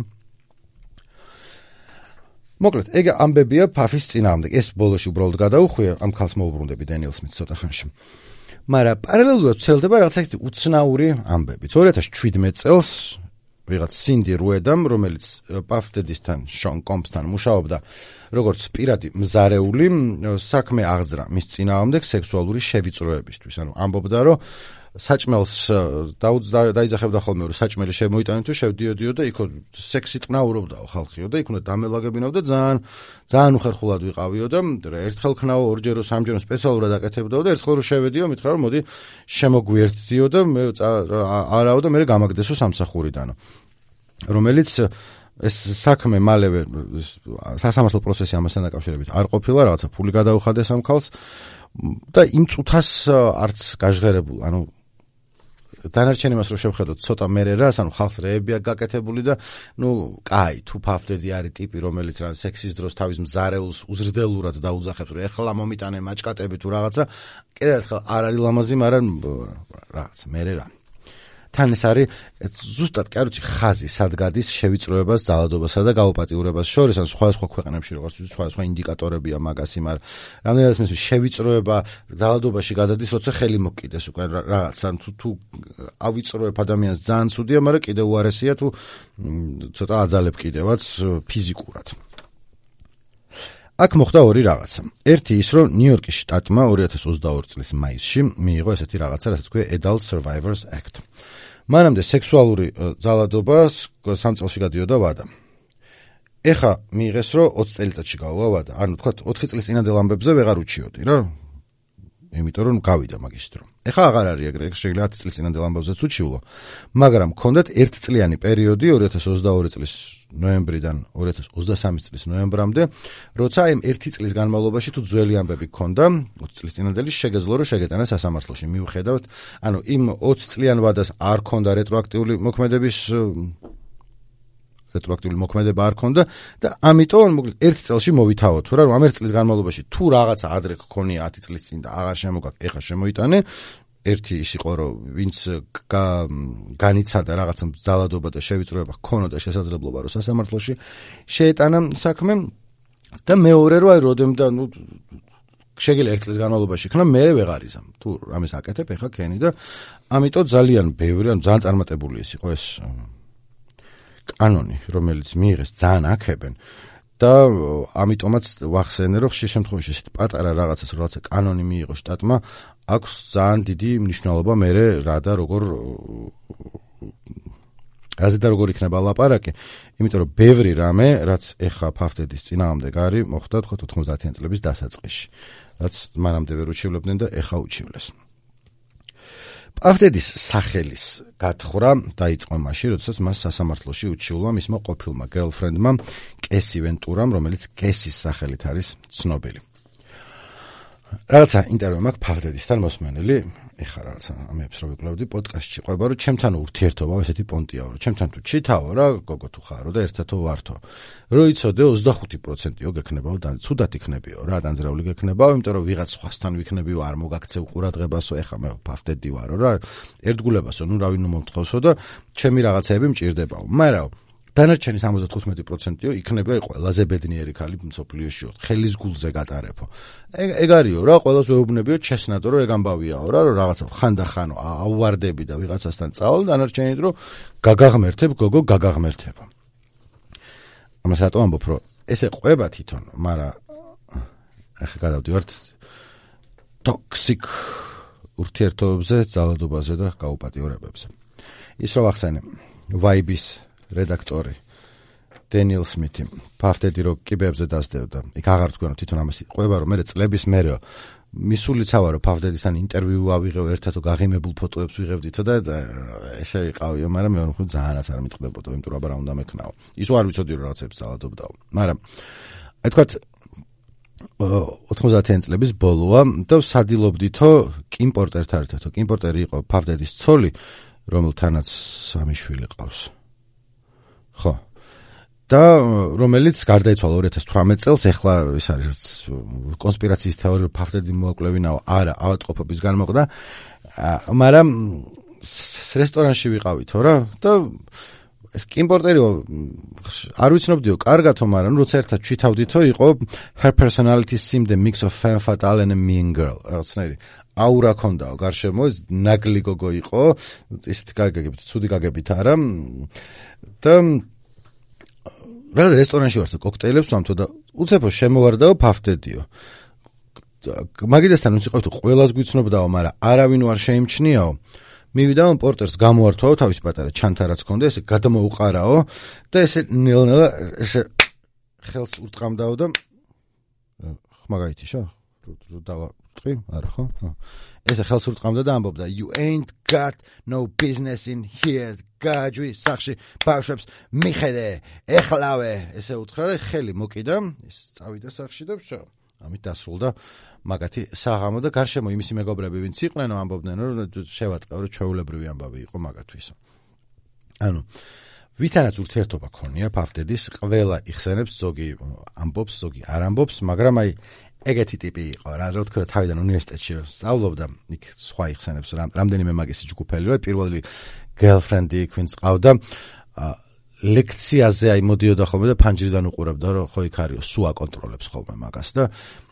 [SPEAKER 1] მოკლედ, ეგ ამბებია ფაფის წინააღმდეგ. ეს ბოლოში უბრალოდ გადაუხვია, ამ ქალს მოუბრუნდები დენიელ სმითს ცოტა ხანში. მაგრამ პარალელურად ვცელდება რაღაცა ისეთი უცნაური ამბები. ორი ათას შვიდმეტ წელს ვიღაც სინდი რუედამ, რომელიც პაფდედისთან, შონ კომპსთან მუშაობდა როგორც პირადი მზარეული, საქმე აღძრა მის წინააღმდეგ სექსუალური შევიწროებისთვის. ანუ ამბობდა, რომ საჭმელს დაიძახებდა ხოლმე, რომ საჭმელი შემოიტანე თუ შევდიოდიო და იქ სექსით ყნაურობდაო ხალხიო და იქ უნდა დამელაგებინავ და ძალიან ძალიან უხერხულად ვიყავიო და ერთხელ ქნაო, ორჯერო, სამჯერო სპეციალურად აკეთებდაო და ერთხელ რომ შევედიო, მითხრა რომ მოდი შემოგვიერთდიო და მე არაო და მე გამაგდესო სამსახურიდანო. რომელიც ეს საქმე მალევე სასამართლო პროცესი ამასთან დაკავშირებით არ ყოფილა, რაღაცა ფული გადაუხადეს ამ ქალს და იმ წუთას არც გაჟღერებულ, ანუ დანარჩენ იმას რომ შევხედოთ ცოტა მერე რას, ანუ ხალხს რეები აქვს გაკეთებული და ნუ კაი, თუ ფავდედი არის ტიპი, რომელიც რა სექსის დროს თავის მზარეულს უზრდელურად დაუძახებს, რომ ეხლა მომიტანე მაჭკატები თუ რაღაცა, კიდევ ერთხელ არ არის ლამაზი, მაგრამ რაღაცა მერე რა. თან ეს არის ზუსტად კი არ ვიცი ხაზი სად გადის შევიწროებას, ძალადობასა და გაუპატიურებას შორის, ან სხვადასხვა ქვეყნებში როგორც ვიცი, სხვადასხვა ინდიკატორებია მაგას იმარ. რამდენადაც მე შევიწროება ძალადობაში გადადის, როცა ხელი მოკიდეს უკვე რაღაც, ან თუ თუ ავიწროებ ადამიანს ძალიან ცუდია, მაგრამ კიდევ უარესია თუ ცოტა აძალებ კიდევაც ფიზიკურად. აქ მოხდა ორი რაღაცა. ერთი ის, რომ ნიუ-იორკის შტატმა ორი ათას ოცდაორი წლის მაისში მიიღო ესეთი რაღაცა, რასაც ქვია Adult Survivors Act. მანამდე სექსუალური ძალადობა სამ წელში გადიოდა ვადა. ეხა მიიღეს, რომ ოცი წელიწადში გავა ვადა. ანუ თქვა ოთხი წლის წინანდელ ამბებზე ვეღარ უჩიოდი რა. იმიტომ რომ გავიდა მაგის დრო. ეხა აღარ არის ეგრე, შეიძლება ათი წლის წინანდელ ამბებზეც უჩივლო. მაგრამ მქონდათ ერთწლიანი პერიოდი ორი ათას ოცდაორი წლის ნოემბრიდან ორი ათას ოცდასამი წლის ნოემბრამდე, როცა იმ ერთი წლის განმავლობაში თუ ძველი ამბები გქონდა, ოცი წლის წინანდელი შეგეძლო რომ შეგეტანა სასამართლოში. მიუხედავად, ანუ იმ ოცი წლიან ვადას არ ქონდა რეტროაქტიული მოქმედების რეტროაქტიული მოქმედება არ ქონდა და ამიტომ მოკლედ ერთი წელში მოვითავოთ რა, რომ ამ ერთი წლის განმავლობაში თუ რაღაცა ადრე გქონია ათი წლის წინ და აღარ შემოგაკ, ეხა შემოიტანე. ერთი ის იყო, რომ ვინც განიცადა რაღაცა ძალადობა და შევიწროება ჰქონოდა შესაძლებლობა, რომ სასამართლოში შეეტანა საქმე და მეორე რო აი როდემ და ნუ შეგიძლია ერთ წლის განმავლობაში იქნა, მე ვეღარ იზამ. თუ რამეს აკეთებ, ეხა ქენი და ამიტომ ძალიან ბევრი, ან ძალიან წარმატებული ის იყო ეს კანონი, რომელიც მიიღეს ძალიან აქებენ და ამიტომაც ვახსენე, რომ ხშირ შემთხვევაში ესეთ პატარა რაღაცას, რაღაცა კანონი მიიღო შტატმა, აქვს ძალიან დიდი მნიშვნელობა მერე რა და როგორ რაზე და როგორ იქნება ლაპარაკი, იმიტომ რომ ბევრი რამე, რაც ეხა ფავდედის წინააღმდეგ არის, მოხდა თქვა ოთხმოცდაათიანი წლების დასაწყისში, რაც მანამდე ვერ უჩივლებდნენ და ეხა უჩივლეს. პავდედის სახელის გათხრა დაიწყო მაშინ, როდესაც მას სასამართლოში უჩივლვა მისმა ყოფილმა გერლფრენდმა კესი ვენტურამ, რომელიც კესის სახელით არის ცნობილი. რაღაცა ინტერვიუ მაქვს ფავდედისთან მოსმენელი, ეხა რაღაცა ამებს რო ვიკვლევდი პოდკასტში ყვება, რომ ჩემთან ურთიერთობა ესეთი პონტიაო, რომ ჩემთან თუ ჩითაო რა, გოგო თუ ხარო და ერთადო ვართო. რო იცოდე ოცდახუთი პროცენტიო გექნებაო და ცუდად იქნებიო რა, დანძრეული გექნებაო, იმიტომ რომ ვიღაც სხვასთან ვიქნებიო, არ მოგაქცევ ყურადღებასო, ეხა მე ფავდედი ვარო რა, ერთგულებასო, ნუ რავი ნუ მომთხოვსო და ჩემი რაღაცეები მჭირდებაო. მაგრამ დანარჩენი სამოცდათხუთმეტი პროცენტიო იქნება ყველაზე ბედნიერი ქალი მსოფლიოშიო, ხელის გულზე გატარებო. ეგ არისო რა, ყველას ვეუბნებიო ჩესნატო, რომ ეგ ამბავიაო რა, რომ რაღაცა ხანდახანო აუვარდები და ვიღაცასთან წავალ, დანარჩენით რომ გაგაღმერთებ, გოგო გაგაღმერთებო. ამას რატო ამბობ, რომ ესე ყვება თვითონ, მაგრამ ახლა გადავდივართ ტოქსიკ ურთიერთობებზე, ძალადობაზე და გაუპატიურებებზე. ის რომ ახსენე, ვაიბის რედაქტორი დენიელ სმითი ფავდედი რო კიბეებზე დასდევდა. იქ აღარ თქვენ თვითონ ამას ყვება, რომ მე წლების მერე მისულიცავა რომ ფავდედისთან ინტერვიუ ავიღებ, ერთადო გაღიმებულ ფოტოებს ვიღებდითო და ესე იყავიო, მაგრამ მე ვთქვი ძალიანაც არ მიტყდებოდა, იმიტომ რომ აბა რა უნდა მეკნაო. ისო არ ვიცოდი რომ რაღაცებს ძალადობდაო. მაგრამ აი თქვათ ოთხმოცდაათიანი წლების ბოლოა და სადილობდითო კიმ პორტერთან ერთად. კიმ პორტერი იყო ფავდედის ცოლი, რომელთანაც სამი შვილი ყავს. ხო. და რომელიც გარდაიცვალა ორი ათას თვრამეტ წელს, ეხლა ის არის კონსპირაციის თეორია, რომ ფავდედი მოაკლევინაო, არა, ავადმყოფობის განმოყდა, მაგრამ რესტორანში ვიყავითო რა და ეს კიმ პორტერიო არ ვიცნობდიო კარგათო, მაგრამ როცა ერთად ჩვითავდითო, იყო her personality seemed a mix of femme fatale and a mean girl. რაღაცნაირი აურა ქონდაო გარშემო, ნაგლი გოგო იყო, ისეთი გაგებით, ცუდი გაგებით არა. და რა რესტორანში ვარ და კოქტეილებს ვამთო და უცებო შემოვარდაო ფავდედიო. მაგიდასთან ვინც იყავით ყველას გვიცნობდაო, მაგრამ არავინ არ შეიმჩნიაო. მივიდაო პორტერს გამოართვაო თავის პატარა ჩანთა რაც ქონდა, ესე გადმოუყარაო და ესე ნელ-ნელა ესე ხელს ურტყამდაო და ხმაგაითიშა? დავაწყი? არა ხო? ესე ხელს ურტყამდა და ამბობდა you ain't got no business in here. გაჯვი სახში ბავშვებს მიხედე, ეხლავე. ესე უთხრა და ხელი მოკიდა, ის წავიდა სახში და ვშო. ამით დასრულდა მაგათი საღამო და გარშემო იმისი მეგობრები ვინც იყვნენ ამბობდნენ რომ შევაწყევ რომ ჩვეულებრივი ამბავი იყო მაგათთვის. ანუ ვისთანაც ურთიერთობა ქონია ფავდედის, ყველა იხსენებს, ზოგი ამბობს, ზოგი არ ამბობს, მაგრამ აი ეგეთი ტიპი იყო რა, რა თქმა უნდა თავიდან უნივერსიტეტში რომ სწავლობდა, იქ სხვა იხსენებს რამდენიმე მაგისი ჯგუფელი რომ პირველი girlfriend-ი იქ ვინც ყავდა ლექციაზე აი მოდიოდა ხოლმე და ფანჯრიდან უყურებდა რომ ხო იქ არისო სულ აკონტროლებს ხოლმე მაგას და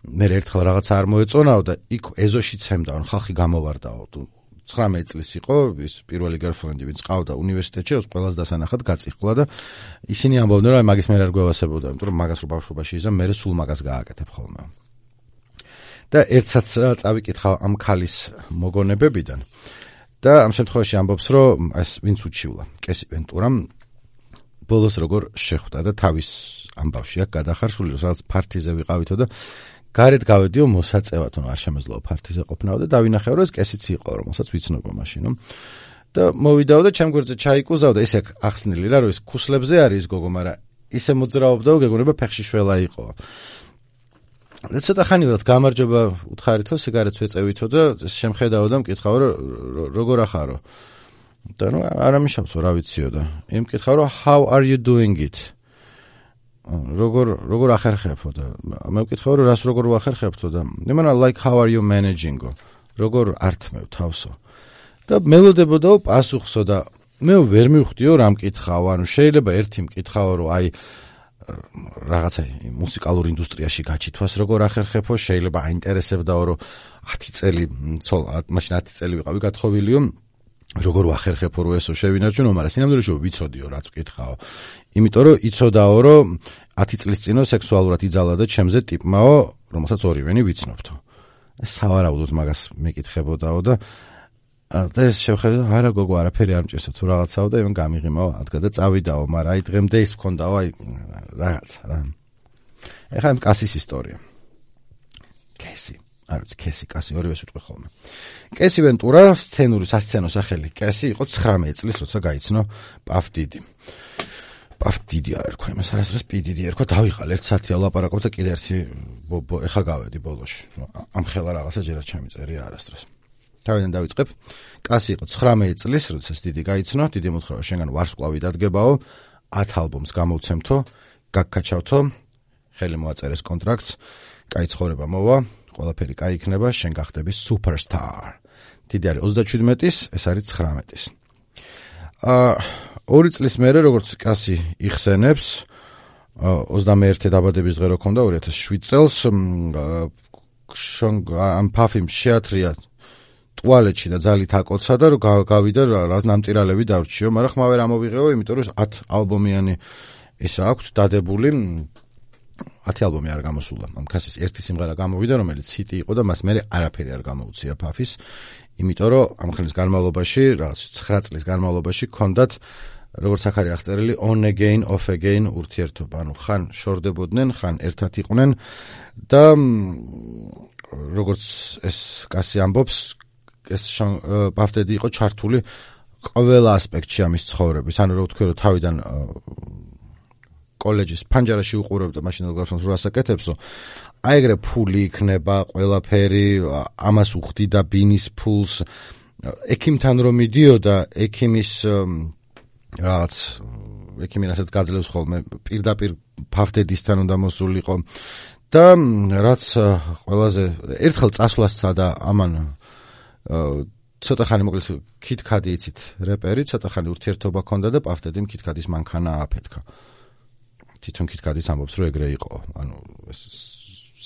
[SPEAKER 1] მე ერთხელ რაღაცა არ მოეწონაო და იქ ეზოში ცემდა ან ხალხი გამოვარდაო ცხრამეტი წლის იყო ის პირველი girlfriend-ი ვინც ყავდა უნივერსიტეტში როს ყველას დასანახად გაწიხლა და ისინი ამბობდნენ რომ აი მაგის მე არ გვევასებოდა იმიტომ რომ მაგას რო ბავშვობაში იზამ მე სულ მაგას გააკეთებ ხოლმე და ერთსაც წავიკითხა ამ ქალის მოგონებებიდან და ამ შემთხვევაში ამბობს რომ ეს ვინც უჩივლა კესი ვენტურამ ბოლოს როგორ შეხვდა და თავის ამბავში აქ გადახარშული რომ რაღაც ფარტიზე ვიყავითო და გარეთ გავედიო მოსაწევად რომ არ შემეძლო ფარტიზე ყოფნაო და დავინახე რომ ეს კესიც იყო რომელსაც ვიცნობო მაშინო და მოვიდაო და ჩემ გვერდზე ჩაიკუზავ და ესე ახსნილი რა რომ ეს ქუსლებზე არის გოგო მაგრამ ისე მოძრაობდაო გეგონება ფეხში შველა იყო და ცოტა ხანი რაც გამარჯობა უთხარითო სიგარეტს ვეწევითო და შემხედაო და მკითხავ რომ როგორ ახარო და ნუ არამიშავსო რა ვიციო და იმ მკითხავ რომ how are you doing it როგორ როგორ ახერხებო და მე მკითხავ რომ რას როგორ ვახერხებთო და იმანა like how are you managing როგორ ართმევ თავსო და მელოდებოდაო პასუხსო და მე ვერ მივხვდიო რა მკითხავ ანუ შეიძლება ერთი მკითხავ რომ აი რაღაცა მუსიკალურ ინდუსტრიაში გაჩითვას როგორ ახერხებო შეიძლება აინტერესებდაო რომ ათი წელი ცოლ მაშინ ათი წელი ვიყავი გათხოვილიო როგორ ვახერხებო რომ ესო შევინარჩუნო მაგრამ სინამდვილეში ვიცოდიო რაც ვკითხაო იმიტომ რომ იცოდაო რომ ათი წლის წინო სექსუალურად იძალა და ჩემზე ტიპმაო რომელსაც ორივენი ვიცნობთო სავარაუდოდ მაგას მეკითხებოდაო და და ეს შევხედე არა გოგო არაფერი არ მჭირსო თუ რაღაცაო და იმან გამიღიმაო ადგა და წავიდაო მაგრამ აი დღემდე ის მქონდაო აი რაღაცა რა ეხლა ამ კასის ისტორია კესი არ ვიცი კესი კასი ორივეს ვიტყვი ხოლმე კესი ვენტურა სცენური სასცენო სახელი კესი იყო ცხრამეტი წლის როცა გაიცნო პავდიდი პავდიდი არ ერქვა იმას არასდროს პიდიდი ერქვა დავიღალ ერთ საათი ალაპარაკობ და კიდე ერთი ეხა გავედი ბოლოში ამ ხელა რაღაცა ჯერაც ჩამიწერია არასდროს თავიდან დავიწყებ კასი იყო ცხრამეტი წლის როცა დიდი გაიცნო დიდი მოთხრობა შენგან ვარსკვლავი დადგებაო ათ ალბომს გამოვცემთო გაგკაჩავთო ხელი მოაწერეს კონტრაქტს კაი ცხოვრება მოვა ყველაფერი კაი იქნება შენ გახდები სუპერსტარ დიდი არის ოცდაჩვიდმეტის ეს არის ცხრამეტის აა ორი წლის მერე როგორც კასი იხსენებს ოცდამეერთე დაბადების დღე რო ქონდა ორი ათას შვიდ წელს ამ ფაფიმ შეათრია ტუალეტში და ძალით აკოცა და გავიდა რას ნამტირალები დავრჩიო მაგრამ ხმა ვერ ამოვიღეო იმიტომ რომ ათ ალბომიანი ისა აქვს დადებული ათი ალბომი არ გამოსულა ამ კასის ერთი სიმღერა გამოვიდა რომელიც ჰიტი იყო და მას მერე არაფერი არ გამოუცია ფაფის იმიტომ რომ ამ ხნის განმავლობაში რაღაც ცხრა წლის განმავლობაში ქონდათ როგორც აქ არის აღწერილი on again off again ურთიერთობა ანუ ხან შორდებოდნენ ხან ერთად იყვნენ და როგორც ეს კასი ამბობს ეს პავდედი იყო ჩართული ყველა ასპექტში ამის ცხოვრების ანუ რო ვთქვი რომ თავიდან კოლეჯის ფანჯარაში უყურებდა მაშინალ გარსონს რო ასაკეთებსო აი ეგრე ფული იქნება ყველაფერი ამას უხდიდა ბინის ფულს ექიმთან რომ მიდიოდა ექიმის რაღაც ექიმინასაც გაძლევს ხოლმე პირდაპირ ფავდედისთან უნდა მოსულიყო და რაც ყველაზე ერთხელ წასვლასა და ამან ცოტა ხანი მოკლედ კიტკადი იცით რეპერი ცოტა ხანი ურთიერთობა ქონდა და პავდედიმ კიტკადის მანქანა აფეთქა თვითონ კიტკადის ამბობს რომ ეგრე იყო ანუ ეს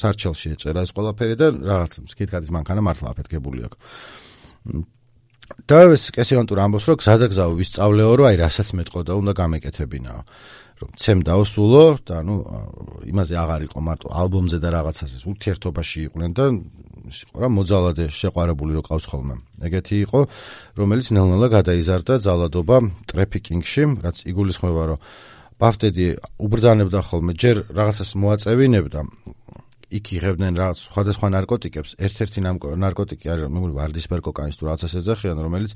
[SPEAKER 1] სარჩელში ეწერა ეს ყველაფერი და რაღაც მკითხადის მანქანა მართლა აფეთქებული აქვს. და ეს კესიანტურ ამბობს, რომ გზადაგზაო ვისწავლეო, რომ აი რასაც მეტყოდა უნდა გამეკეთებინაო. რომ ცემდაო სულო და ნუ იმაზე აღარ იყო მარტო ალბომზე და რაღაცაზე ურთიერთობაში იყვნენ და ის იყო რა მოძალადე შეყვარებული რო ყავს ხოლმე. ეგეთი იყო, რომელიც ნელ-ნელა გადაიზარდა ძალადობა ტრეფიკინგში, რაც იგულისხმება, რომ პაფტედი უბრძანებდა ხოლმე, ჯერ რაღაცას მოაწევინებდა, იქ იღებდნენ რაღაც სხვადასხვა ნარკოტიკებს, ერთ-ერთი ნარკოტიკი არის, მეგონი ვარდისფერ კოკაინის თუ რაღაცას ეძახიან, რომელიც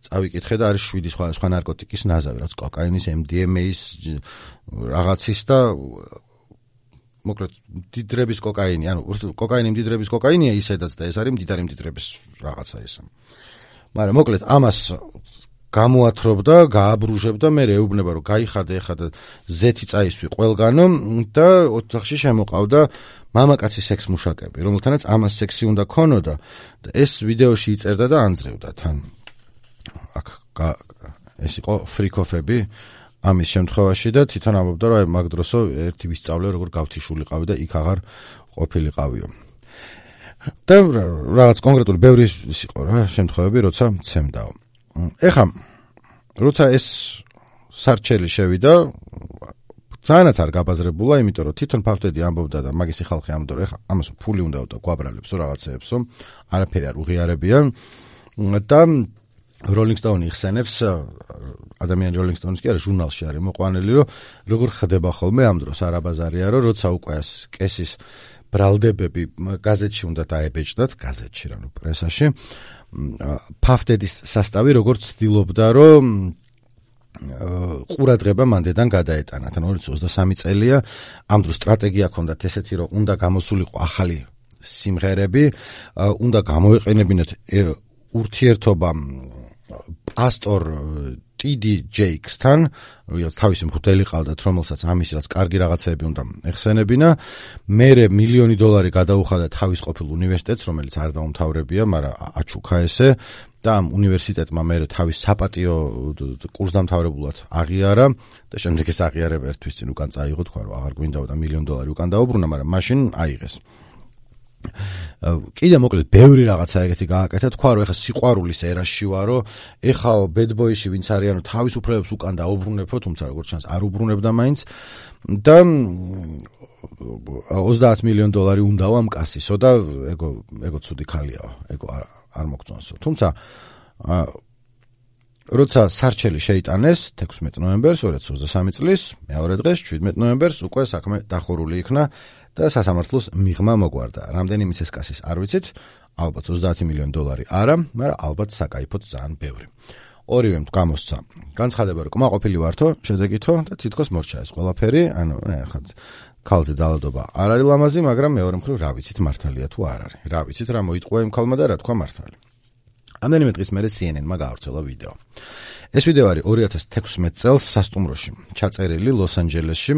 [SPEAKER 1] წავიკითხე და არის შვიდი სხვადასხვა ნარკოტიკის ნაზავი, რაც კოკაინის, ემ დი ემ ეის რაღაცის და მოკლედ მდიდრების კოკაინი, ანუ კოკაინი მდიდრების კოკაინია ისედაც და ეს არის მდიდარი მდიდრების რაღაცა ესა. მაგრამ მოკლედ ამას გამოათრობდა, გააბრუჟებდა, მე ეუბნება, რომ გაიხადე ეხა და ზეთი წაისვი ყველგანო და ოთახში შემოყავდა მამაკაცი სექს მუშაკები, რომელთანაც ამას სექსი უნდა ქონოდა და ეს ვიდეოში იწერდა და ანძრევდა თან. აქ ეს იყო ფრიკოფები ამის შემთხვევაში და თვითონ ამბობდა, რომ მაგ დროსო ერთი ვისწავლე, როგორ გავთიშულიყავი და იქ აღარ ყოფილიყავიო. და რაღაც კონკრეტული ბევრი იყო რა შემთხვევები, როცა ცემდაო. ეხა როცა ეს სარჩელი შევიდა, ძალიანაც არ გაბაზრებულა, იმიტომ რომ თვითონ ფავტედი ამბობდა და მაგისი ხალხი ამბობდა, რომ ეხა ამას ფული უნდა და გვაბრალებსო რაღაცეებსო, არაფერი არ უღიარებია და Rolling Stone იხსენებს, ადამიანი Rolling Stone-ის კი არა, ჟურნალში არის მოყვანილი, რომ როგორ ხდება ხოლმე ამ დროს არაბაზარია, რომ როცა უკვე ეს კესის ბრალდებები გაზეთში უნდა დაებეჭდათ, გაზეთში რა ნუ პრესაში, ფავტედის სასტავი როგორც ცდილობდა, რომ ყურადღება მანდედან გადაეტანათ. ანუ ორი ოცდაათი წელია, ამ დროს სტრატეგია ჰქონდათ ესეთი, რომ უნდა გამოსულიყო ახალი სიმღერები, უნდა გამოეყენებინათ ურთიერთობა პასტორ ტი დი ჯეიქსთან, რომელიც თავისი მღვდელი ყავდათ, რომელსაც ამის რაც კარგი რაღაცები უნდა ეხსენებინა. მერე მილიონი დოლარი გადაუხადა თავის ყოფილ უნივერსიტეტს, რომელიც არ დაუმთავრებია, მაგრამ აჩუქა ესე და ამ უნივერსიტეტმა მერე თავის საპატიო კურსდამთავრებულად აღიარა და შემდეგ ეს აღიარება ერთვის წინ უკან წაიღო, თქვა რომ აღარ გვინდაო და მილიონი დოლარი უკან დაუბრუნა, მაგრამ მაშინ აიღეს. კიდე მოკლედ ბევრი რაღაცა ეგეთი გააკეთა, თქვა რომ ეხა სიყვარულის ერაში ვარო, ეხაო ბედბოიში ვინც არიანო თავის უფლებებს უკან დაუბრუნებო, თუმცა როგორც ჩანს არ უბრუნებდა მაინც და ოცდაათი მილიონი დოლარი უნდაო ამ კასისო და ეგო ეგო ცუდი ქალიაო, ეგო არ არ მოგწონსო. თუმცა როცა სარჩელი შეიტანეს თექვსმეტი ნოემბერს ორი ათას ოცდასამი წლის მეორე დღეს შვიდმეტი ნოემბერს უკვე საქმე დახურული იქნა და სასამართლოს მიღმა მოგვარდა. რამდენი მიცეს კასის არ ვიცით, ალბათ ოცდაათი მილიონი დოლარი არა, მაგრამ ალბათ საკაიფოდ ძალიან ბევრი. ორივემ გამოსცა. განცხადება რომ კმაყოფილი ვართო, შედეგითო და თითქოს მორჩა ეს ყველაფერი, ანუ ხა ქალზე ძალადობა არ არის ლამაზი, მაგრამ მეორე მხრივ რა ვიცით მართალია თუ არ არის. რა ვიცით რა მოიტყვა იმ ქალმა და რა თქვა მართალი. ამდენიმე დღის მერე სი ენ ენ-მა გაავრცელა ვიდეო. ეს ვიდეო არის ორი ათას თექვსმეტი წელს სასტუმროში, ჩაწერილი ლოს-ანჯელესში,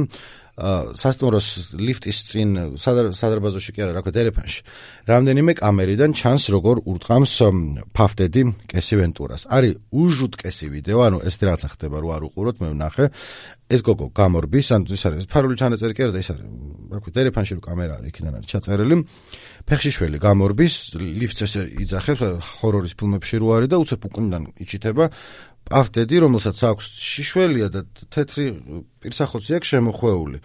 [SPEAKER 1] სასტუმროს ლიფტის წინ სადარბაზოში კი არა, რა ქვია, დერეფანში. რამდენიმე კამერიდან ჩანს როგორ ურტყამს ფავტედი კესი ვენტურას. არის უჟუტკესი ვიდეო, ანუ ეს რაღაცა ხდება, რო არ უყუროთ, მე ვნახე. ეს გოგო გამორბის, ანუ ის არის ფარული ჩანაწერი კი არა და ის არის, რა ქვია, დერეფანში რო კამერა არის, იქიდან არის ჩაწერილი. ფეხში შველი გამორბის, ლიფტს ესე იძახებს, ჰორორის ფილმებში რო არის და უცებ უკუნიდან იჩითება პავტედი, რომელსაც აქვს შიშველია და თეთრი პირსახოცი აქვს შემოხვეული.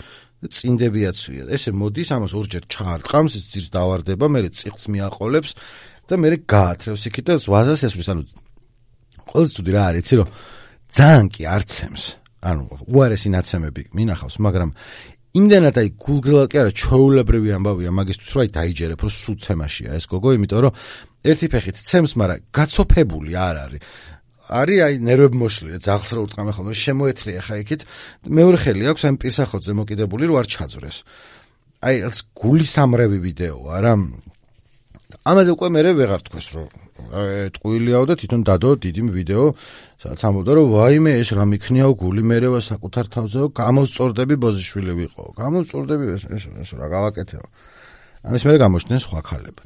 [SPEAKER 1] წინდებიაცვია. ესე მოდის, ამას ორჯერ ჩაარტყამს, ის ძირს დავარდება, მერე წიხლს მიაყოლებს და მერე გაათრევს იქით და ვაზას ესვრის. ანუ ყველაზე ცუდი რა არის, იცი რომ ძალიან კი არცემს. ანუ უარესი ნაცემები მინახავს, მაგრამ იმდენად აი გულგრილად კი არა, ჩვეულებრივი ამბავია მაგისთვის, რომ აი დაიჯერებ, რომ სულ ცემაშია ეს გოგო, იმიტომ რომ ერთი ფეხით ცემს, მაგრამ გაცოფებული არ არის. არის აი ნერვები მოშლილი, ძაღლს რო ურტყამე ხოლმე, შემოეთრია ხა იქით. მეორე ხელი აქვს ამ პირსახოთზე მოკიდებული, რომ არ ჩაძვრეს. აი ეს გულისამრევი ვიდეოა რა. ამაზე უკვე მე ვეღარ თქვეს, რომ ტყუილიაო და თვითონ დადო დიდი ვიდეო, სადაც ამბობდა, რომ ვაიმე ეს რა მიქნიაო, გული მერევა საკუთარ თავზეო, გამოსწორდები ბოზიშვილი ვიყო. გამოსწორდები ეს ეს რა გავაკეთეო. ამის მერე გამოჩნდნენ სხვა ქალები.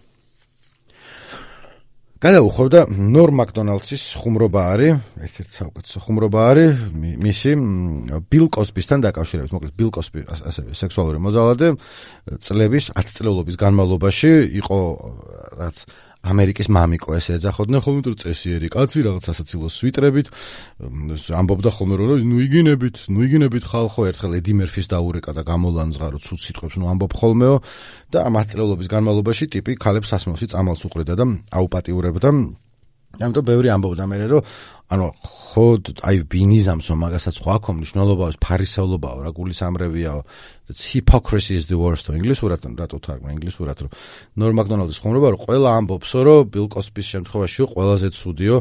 [SPEAKER 1] გადაუხვევდა ნორ მაკდონალდსის ხუმრობა არის, ერთ-ერთი საუკეთესო ხუმრობა არის მისი ბილ კოსბისთან დაკავშირებით. მოკლედ ბილ კოსბი ასევე სექსუალური მოძალადე წლების ათწლეულობის განმავლობაში იყო რაც ამერიკის მამიკო ესე ეძახოდნენ ხოლმე თუ წესიერი კაცი რაღაც სასაცილო სვიტრებით ამბობდა ხოლმე რომ ნუ იგინებით, ნუ იგინებით ხალხო ერთხელ ედი მერფის დაურეკა და გამოლანძღა რომ ცუდ სიტყვებს ნუ ამბობ ხოლმეო და ამ ათწლეულობის განმავლობაში ტიპი ქალებს სასმელში წამალს უყრიდა და აუპატიურებდა. ამიტომ ბევრი ამბობდა მე რომ ანუ ხოდ აი ბინიზამსო მაგასაც ხო აქ მნიშვნელობაა ფარისევლობაა რა გულის ამრევიაო hypocrisy is the worst ინგლისურად რატო თარგმნა ინგლისურად რომ ნორ მაკდონალდის ხუმრობა რომ ყველა ამბობსო რომ ბილ კოსბის შემთხვევაში ყველაზე ცუდიო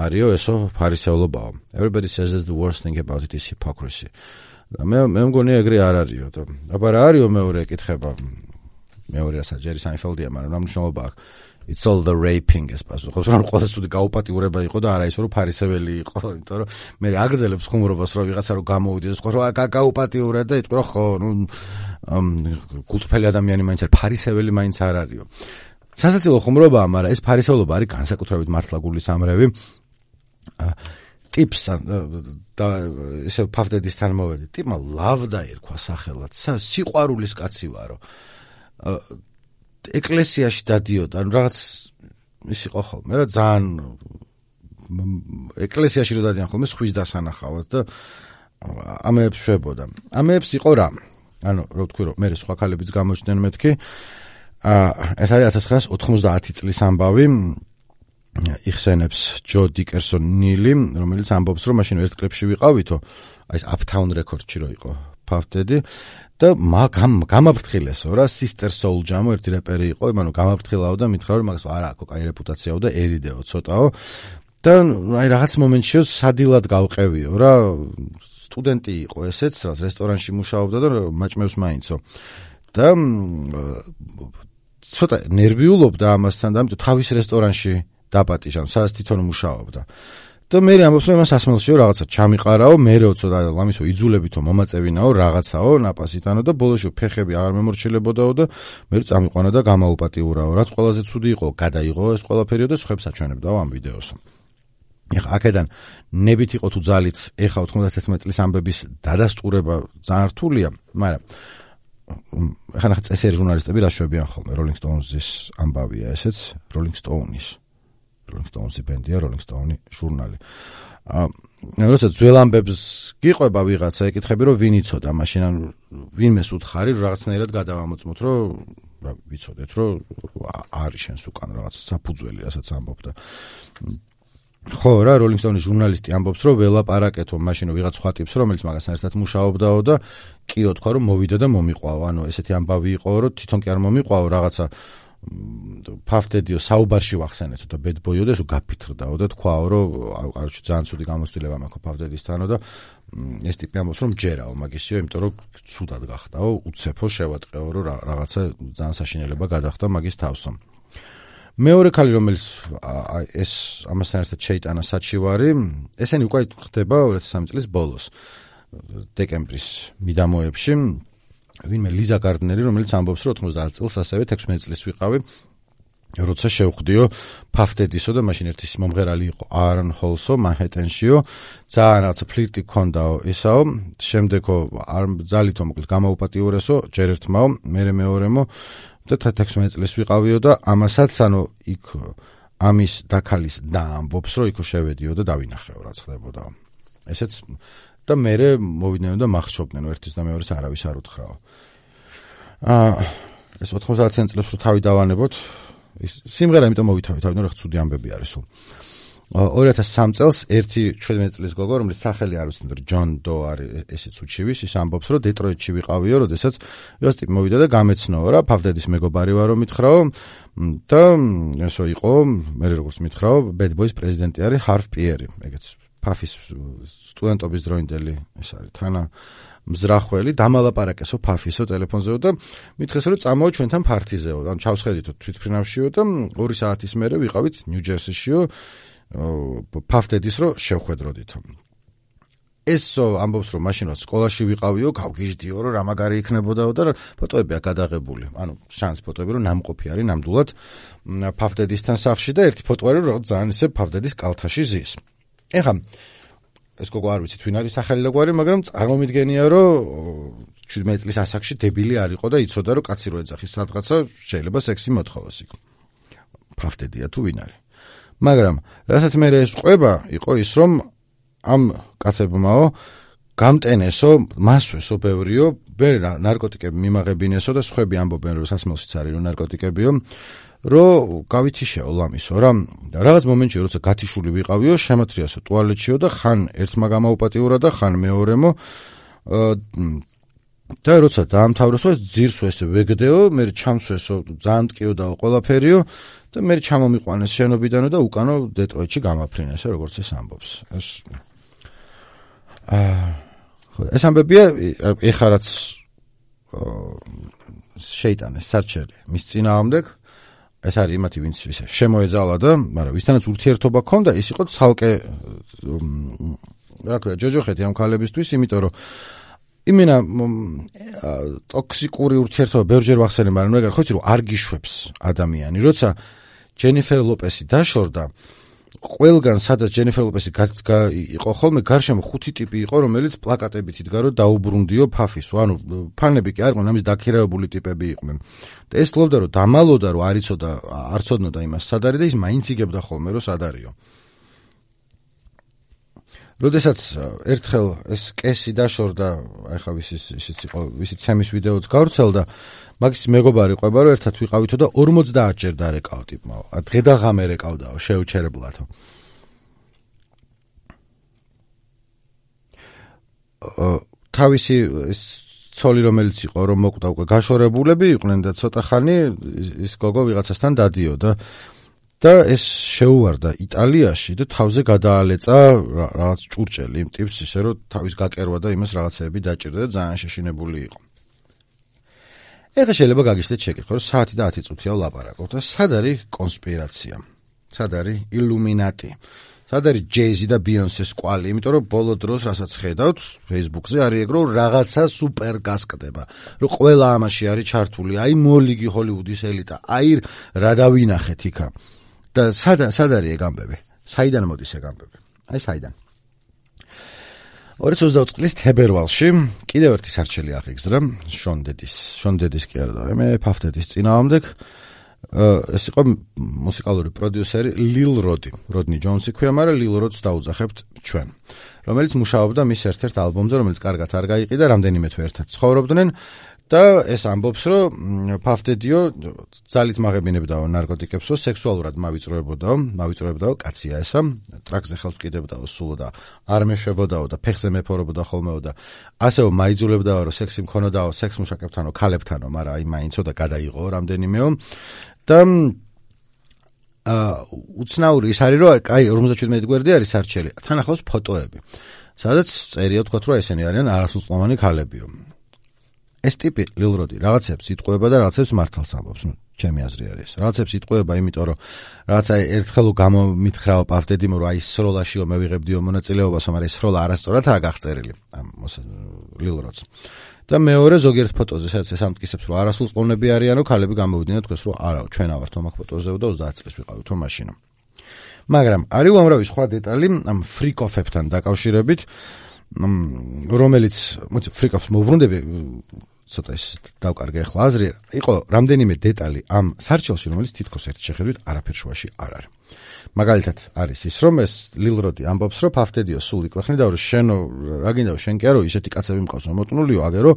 [SPEAKER 1] არისო ესო ფარისევლობაო. Everybody says the worst thing about it is hypocrisy. მე მე მგონია ეგრე არ არისო და აბა რა არისო მეორე ეკითხება მეორე რასაც ჯერი საინფელდია მაგრამ რა მნიშვნელობა აქვს It's all the raping ეს პასუხობს რომ ყველა ცუდი გაუპატიურება იყო და არა ისე რომ ფარისეველი იყო იმიტომ რომ მე აგრძელებს ხუმრობას რომ ვიღაცა რომ გამოვიდეს ხო რომ გაუპატიურა და იტყვი რომ ხო ნუ კულტფელი ადამიანი მაინც არის ფარისეველი მაინც არ არისო. სასაცილო ხუმრობაა მაგრამ ეს ფარისევლობა არის განსაკუთრებით მართლა გულის ამრევი ტიპს და ესე ფავდედისთან მოვედი ტიპმა ლავდა ერქვა სახელად სიყვარულის კაცი ვარო ეკლესიაში დადიოდა, ანუ რაღაც ის იყო ხოლმე რა ძალიან ეკლესიაში რო დადიან ხოლმე სხვის დასანახავად და ამეებს შვებოდა. ამეებს იყო რა? ანუ რო ვთქვი რომ მე სხვა ქალებიც გამოჩნდნენ მეთქი. აა ეს არის ათას ცხრაასი ოთხმოცდაათი წლის ამბავი. იხსენებს ჯო დიკერსონ ნილი, რომელიც ამბობს რომ მაშინ ერთ კლიპში ვიყავითო, აი ეს Uptown Records-ში რო იყო ფავდედი და მაგამ გამაფრთხილესო რა Sister Soulja-მო ერთი რეპერი იყო, იმანო გამაფრთხილაო და მითხრა რომ მაგას არ აქვს კაი რეპუტაციაო და ერიდეო ცოტაო და აი რაღაც მომენტში სადილად გავყევიო რა სტუდენტი იყო ესეც რაც რესტორანში მუშაობდა და მაჭმევს მაინცო და ცოტა ნერვიულობდა ამასთან და ამიტომ თავის რესტორანში დაპატიჟა, სადაც თვითონ მუშაობდა. და მე ამბობს რომ იმას სასმელშიო რაღაცა ჩამიყარაო, მერეო ცოტა ლამისო იძულებითო მომაწევინაო რაღაცაო ნაპასითანო და ბოლოში ფეხები აღარ მემორჩილებოდაო და მე წამიყვანა და გამაუპატიურაო. რაც ყველაზე ცუდი იყო, გადაიღო ეს ყველაფერიო და სხვებს აჩვენებდაო ამ ვიდეოს. ეხა აქედან ნებით იყო თუ ძალით ეხა ოთხმოცდათერთმეტი წლის ამბების დადასტურება ძალიან რთულია, მაგრამ ეხა ნახე წესიერი ჟურნალისტები რა შვებიან ხოლმე Rolling Stones-ის ამბავია ესეც Rolling Stones-ის Rolling Stones-ი ბენდია, Rolling Stone-ი ჟურნალი. აა როცა ძველ ამბებს გიყვება ვიღაცა, ეკითხები რომ ვინ იცოდა, მაშინ ან ვინმეს უთხარი რომ რაღაცნაირად გადავამოწმოთ, რომ რა ვიცოდეთ, რომ არის შენს უკან რაღაც საფუძველი, რასაც ამბობდა. ხო რა, Rolling Stone-ის ჟურნალისტი ამბობს, რომ ველაპარაკეთო მაშინ ვიღაც სხვა ტიპს, რომელიც მაგასთან ერთად მუშაობდაო და კიო თქვა რომ მოვიდა და მომიყვაო. ანუ ესეთი ამბავი იყო, რომ თვითონ კი არ მომიყვაო რაღაცა ფავდედიო საუბარში ვახსენეთო და bad boy-ო და ესო გაფიქრდაო და თქვაო რომ არჩი ძალიან ცუდი გამოცდილება მაქვს ფავდედისთანო და ეს ტიპი ამბობს რომ ჯერაო მაგისიო, იმიტომ რომ ცუდად გახდაო, უცეფო შევატყეო რომ რაღაცა ძალიან საშინელება გადახდა მაგის თავსო. მეორე ქალი რომელიც ეს ამასთან ერთად შეიტანა საჩივარი, ესენი უკვე ხდება ორი ათას სამი წლის ბოლოს დეკემბრის მიდამოებში. ვინმე ლიზა გარდნერი, რომელიც ამბობს, რომ ოთხმოცდაათ წელს ასევე ექვსმეტი წლის ვიყავი, როცა შევხვდიო ფავდედისო და მაშინ ერთის მომღერალი იყო Aaron Hallsო, Manhattan-შიო, ძალიან რაღაცა ფლირტი ქონდაო ისაო, შემდეგო არ ძალითო მოკლედ გამაუპატიურესო, ჯერ ერთმაო, მერე მეორემო და ექვსმეტი წლის ვიყავიო და ამასაც ანუ იქ ამის დაქალის და ამბობს, რომ იქ შევედიო და დავინახეო რა ხდებოდაო. ესეც და მერე მოვიდნენ და მახშობდნენ ერთის და მეორეს არავის არ უთხრაო. აა ეს ოთხმოცდაათიან წლებს რო თავი დავანებოთ, სიმღერა იმიტომ მოვითავით, თავიდან რა ცუდი ამბები არის სულ. ორი ათას სამი წელს ერთი ჩვენმეტი წლის გოგო, რომელიც სახელი არ ვიცნობ, ჯონ დო არის ესეც უჩივის, ის ამბობს, რომ დეტროიტში ვიყავიო, როდესაც ეს ტიპი მოვიდა და გამეცნოო რა, ფავდედის მეგობარი ვარო მითხრაო და ესო იყო, მე როგორც მითხრაო, Bad Boys პრეზიდენტი არის Harv Pieri, ეგეც ფაფის სტუდენტობის დროინდელი ეს არის თანა მზრახველი დამალაპარაკესო ფაფისო ტელეფონზეო და მითხეს რომ წამოო ჩვენთან ფართიზეო, ანუ ჩავსხედითო თვითფრინავშიო და ორი საათის მერე ვიყავით ნიუ-ჯერსიშიო ფავდედის რო შევხვედროდითო. ეს ამბობს რომ მაშინ რაც სკოლაში ვიყავიო, გავგიჟდიო რომ რა მაგარი იქნებოდაო და ფოტოებია გადაღებული. ანუ შანს ფოტოები რომ ნამყოფი არის ნამდვილად ფავდედისთან სახლში და ერთი ფოტო არის რომ ძალიან ისე ფავდედის კალთაში ზის. ეხლა ეს გოგო არ ვიცით ვინ არის სახელი და გვარი, მაგრამ წარმომიდგენია რომ შვიდმეტი წლის ასაკში დებილი არ იყო და იცოდა რომ კაცი რო ეძახის სადღაცა შეიძლება სექსი მოთხოვოს იქ. ფავდედია თუ ვინ არის. მაგრამ რასაც მე ეს ყვება იყო ის რომ ამ კაცებმაო გამტენესო, მასვესო ბევრიო, ვერ ნარკოტიკები მიმაღებინესო და სხვები ამბობენ რომ სასმელშიც არის რომ ნარკოტიკებიო, რომ გავითიშეო ლამისო რა. რაღაც მომენტში როცა გათიშული ვიყავიო, შემოთრიასო ტუალეტშიო და ხან ერთმა გამაუპატიურა და ხან მეორემო და როცა დაამთავროსო ძირსო ესე ვეგდეო, მე ჩამსვესო ძალიან ტკიოდაო ყველაფერიო და მე ჩამომიყვანეს შენობიდანო და უკანო დეტროიტში გამაფრინესო როგორც ეს ამბობს. ეს აა ეს ამბებია ეხლა რაც შეიტანეს სარჩელი მის წინააღმდეგ, ეს არის იმათი ვინც ისე შემოეძალა და მაგრამ ვისთანაც ურთიერთობა ჰქონდა, ის იყო ცალკე რა ქვია ჯოჯოხეთი ამ ქალებისთვის, იმიტომ რომ იმენა ტოქსიკური ურთიერთობა ბევრჯერ ვახსენე, მაგრამ ეგარ ხო იცი რომ არ გიშვებს ადამიანი, როცა ჯენიფერ ლოპესი დაშორდა, ყველგან სადაც ჯენიფერ ლოპესი იყო ხოლმე გარშემო ხუთი ტიპი იყო, რომელიც პლაკატებით იდგა რომ დაუბრუნდიო ფაფის, ანუ ფანები კი არ იყვნენ, ამის დაქირავებული ტიპები იყვნენ. და ეს ფლობდა რომ დამალოდა რომ არ იცოდა, არ ცოდნოდა იმას სად არის და ის მაინც იგებდა ხოლმე რომ სად არისო. როდესაც ერთხელ ეს კესი დაშორდა, ახლა ვისიც ისიც იყო, ვისიც ცემის ვიდეოც გავრცელდა, მაგის მეგობარი ყვება რომ ერთად ვიყავითო და ორმოცდაათ ჯერ დარეკაო ტიპმა. დღე და ღამე რეკავდაო შეუჩერებლათო. თავისი ცოლი რომელიც იყო რომ მოკვდა უკვე გაშორებულები იყვნენ და ცოტა ხანი ის გოგო ვიღაცასთან დადიოდა და ეს შეუვარდა იტალიაში და თავზე გადაალეწა რაღაც ჭურჭელი იმ ტიპს ისე რომ თავის გაკერვა და იმას რაღაცეები დაჭირდა და ძალიან შეშინებული იყო. ეხლა შეიძლება გაგიშლეთ შეკითხვა რომ საათი და ათი წუთია ვლაპარაკობთ და სად არის კონსპირაცია? სად არის ილუმინატი? სად არის ჯეიზი და ბიონსეს კვალი? იმიტომ რომ ბოლო დროს რასაც ხედავთ Facebook-ზე არის ეგ რომ რაღაცა სუპერ გასკდება. რომ ყველა ამაში არის ჩართული. აი მოლიგი ჰოლივუდის ელიტა. აი რა დავინახეთ იქა. და სად სად არის ეგ ამბები? საიდან მოდის ეგ ამბები? აი საიდან? ორი ათი ოცდაოთხ წლის თებერვალში კიდევ ერთი სარჩელი აღიგზრა შონ დედის, შონ დედის კი არა, მე ფავდედის წინააღმდეგ. ეს იყო მუსიკალური პროდიუსერი ლილ როდი, როდნი ჯონსი ქვია, მაგრამ ლილ როდს დაუძახებთ ჩვენ, რომელიც მუშაობდა მის ერთ-ერთ ალბომზე, რომელიც კარგად არ გაიყიდა, რამდენიმე თვე ერთად ცხოვრობდნენ და ეს ამბობს, რომ ფავდედიო ძალით მაღებინებდაო ნარკოტიკებსო, სექსუალურად მავიწროებოდაო, მავიწროებდაო, კაცია ესა, ტრაქზე ხელს ვკიდებდაო სულო და არ მეშვებოდაო და ფეხზე მეფორებოდა ხოლმეო და ასევე მაიძულებდაო, რომ სექსი მქონოდაო სექს მუშაკებთანო, ქალებთანო, მაგრამ აი მაინცო და გადაიღო რამდენიმეო და აა უცნაური ის არის, რომ აი ორმოცდაშვიდმეტი გვერდი არის სარჩელი, თან ახლავს ფოტოები, სადაც წერია თქვა, რომ ესენი არიან არასრულწლოვანი ქალებიო. ეს ტიპი ლილ როდი რაღაცებს იტყვება და რაღაცებს მართალს ამბობს, ნუ ჩემი აზრი არის. რაღაცებს იტყვება, იმიტომ რომ რაღაცა ერთხელ გამომითხრაო პავდედიმ, რომ აი სროლაშიო მე ვიღებდიო მონაწილეობას, მაგრამ ეს სროლა არასწორადაა გაღწერილი ამ ლილ როდს. და მეორე ზოგიერთ ფოტოზე, სადაც ეს ამტკიცებს, რომ არასრულწლოვნები არიანო, ქალები გამოვიდნენ თქვეს, რომ არა, ჩვენ ავართ ამ ფოტოზეო და ოცდაათ წლის ვიყავით ამ მაშინა. მაგრამ არის უამრავი სხვა დეტალი ამ ფრიკოფებთან დაკავშირებით, რომელიც, მოიცა, ფრიკოფს მოვბრუნდები, ცოტა ის დავკარგე ახლა აზრი, იყო რამდენიმე დეტალი ამ სარჩელში, რომელიც თითქოს ერთ შეხედვით არაფერ შუაში არ არის. მაგალითად არის ის, რომ ეს ლილ როდი ამბობს, რომ ფავდედიო სულ იკვეხნიდა, რომ შენ რა გინდა შენ კი არო ისეთი კაცები მყავს მომოტნულიო, აგერო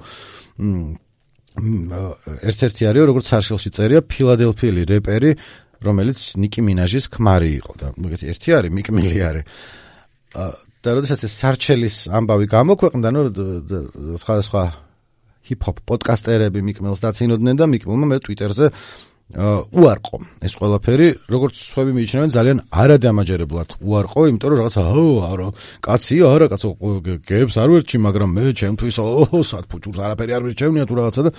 [SPEAKER 1] ერთ-ერთი არის, როგორც სარჩელში წერია, ფილადელფიელი რეპერი, რომელიც ნიკი მინაჟის ქმარი იყო და მოგეთი ერთი არის, მიკ მილი არის. და როდესაც ეს სარჩელის ამბავი გამოქვეყნდა, ნუ სხვადასხვა ჰიპ-ჰოპ პოდკასტერები მიკ მილს დაცინოდნენ და მიკ მილმა მე ტვიტერზე უარყო ეს ყველაფერი, როგორც სხვები მიიჩნევენ ძალიან არადამაჯერებლად უარყო, იმიტომ რომ რაღაცა არა, კაცია, არა, კაცო, გებს არ ვერჩი, მაგრამ მე ჩემთვის ო, სად ფუჭურს არაფერი არ ვერჩევნია თუ რაღაცა და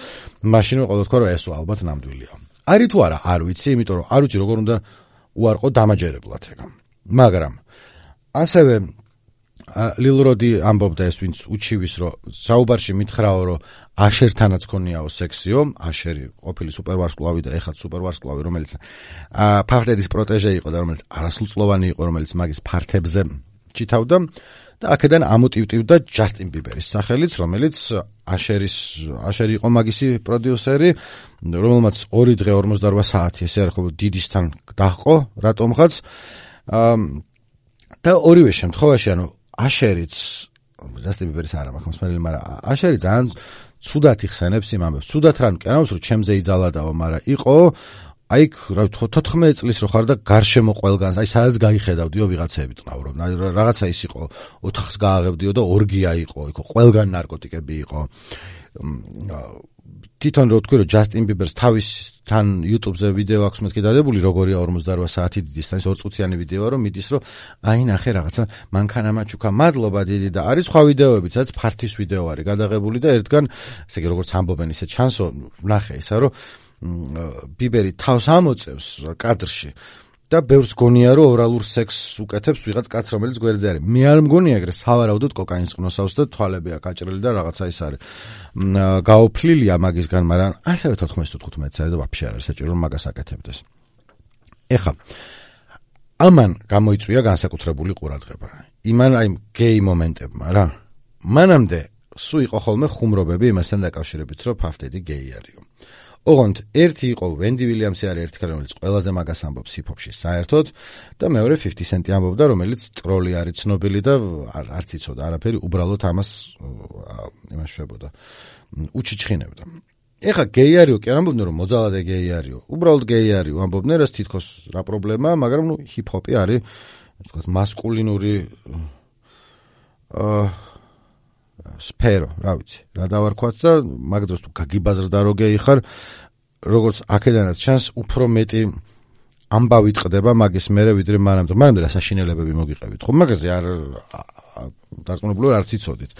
[SPEAKER 1] მაშინვე ყველა თქვა, რომ ესო ალბათ ნამდვილია. არის თუ არა, არ ვიცი, იმიტომ რომ არ ვიცი როგორ უნდა უარყო დამაჯერებლად ეგ. მაგრამ ასევე ლილროდი ამბობდა ეს ვინც უჩივის რომ საუბარში მითხრაო რომ აშერთანაც ქონიაო სექსიო, აშერი ყოფილი სუპერვარსკვლავი და ეხლა სუპერვარსკვლავი რომელიც ფავდედის პროტეჟე იყო და რომელიც არასრულწლოვანი იყო, რომელიც მაგის ფართებზე ჩითავდა და აქედან ამოტივტივდა ჯასტინ ბიბერის სახელიც, რომელიც აშერის აშერი იყო მაგისი პროდიუსერი, რომელმაც ორი დღე ორმოცდაოთხ საათი ესე არის ხო დიდისთან დაჰყო რატომღაც და ორივე შემთხვევაში ანუ აშერიც ჯასტინ ბიბერის არა მაქვს, მაგრამ აშერი ძალიან ცუდად იხსენებს იმ ამბებს. ცუდად რან კი არა, რომ ჩემზე იძალადაო, მაგრამ იყო აი რა თოთხმეტ წლის რო ხარ და გარშემო ყველგანს, აი სადაც გაიხედავდიო ვიღაცები ტყავრობ. რაღაცა ის იყო, ოთახს გააღებდიო და ორგია იყო, იქ ყველგან ნარკოტიკები იყო. თვითონ რო თქვი რომ ჯასტინ ბიბერს თავის თან YouTube-ზე ვიდეო აქვს მეთქი დადებული, როგორია ორმოცდაოთხ საათი დიდისთან, ორ წუთიანი ვიდეოა, რომ მიდის რომ აი ნახე რაღაცა მანქანა მაჩუკა, მადლობა დიდი და არის სხვა ვიდეოებიც, სადაც ფართვის ვიდეო არის გადაღებული და ერთგან, ესე იგი როგორც ამბობენ ისე ჩანსო, ნახე ისა რომ ბიბერი თავს ამოწევს კადრში და ბევრს გონია რომ ორალურ სექსს უკეთებს ვიღაც კაც რომელიც გვერდზე არის. მე არ მგონია ეგრე სავარაუდოდ კოკაინს ყნოსავს და თვალები აქვს აჭრილი და რაღაცა ის არის. გაოფლილია მაგისგან, მაგრამ ასევე თოთხმეტ თხუთმეტს არის და ვაფშე არ არის საჭირო რომ მაგას აკეთებდეს. ეხლა ამან გამოიწვია განსაკუთრებული ყურადღება. იმან აი გეი მომენტებმა რა. მანამდე სულ იყო ხოლმე ხუმრობები იმასთან დაკავშირებით რომ ფავდედი გეი არისო. ოღონდ ერთი იყო ვენდი ვილიამსი არის ერთი ქალი რომელიც ყველაზე მაგას ამბობს ჰიპ-ჰოპში საერთოდ და მეორე fifty Cent-ი ამბობდა რომელიც ტროლი არის ცნობილი და არც იცოდა არაფერი, უბრალოდ ამას იმას შვებოდა, უჩიჩხინებდა. ეხა გეი არისო კი არ ამბობდნენ რომ მოძალადე გეი არისო, უბრალოდ გეი არისო ამბობდნენ, რაც თითქოს რა პრობლემაა, მაგრამ ნუ ჰიპ-ჰოპი არის ვთქვათ მასკულინური აა სფერო, რა ვიცი, რა დავარქვათ და მაგ დროს თუ გაგიბაზრდა რო გეი ხარ, როგორც აქედანაც ჩანს, უფრო მეტი ამბავი ტყდება მაგის მერე ვიდრე მანამდე. მანამდე რა საშინელებები მოგიყევით, ხო? მაგაზე არ დარწმუნებული არც იცოდით.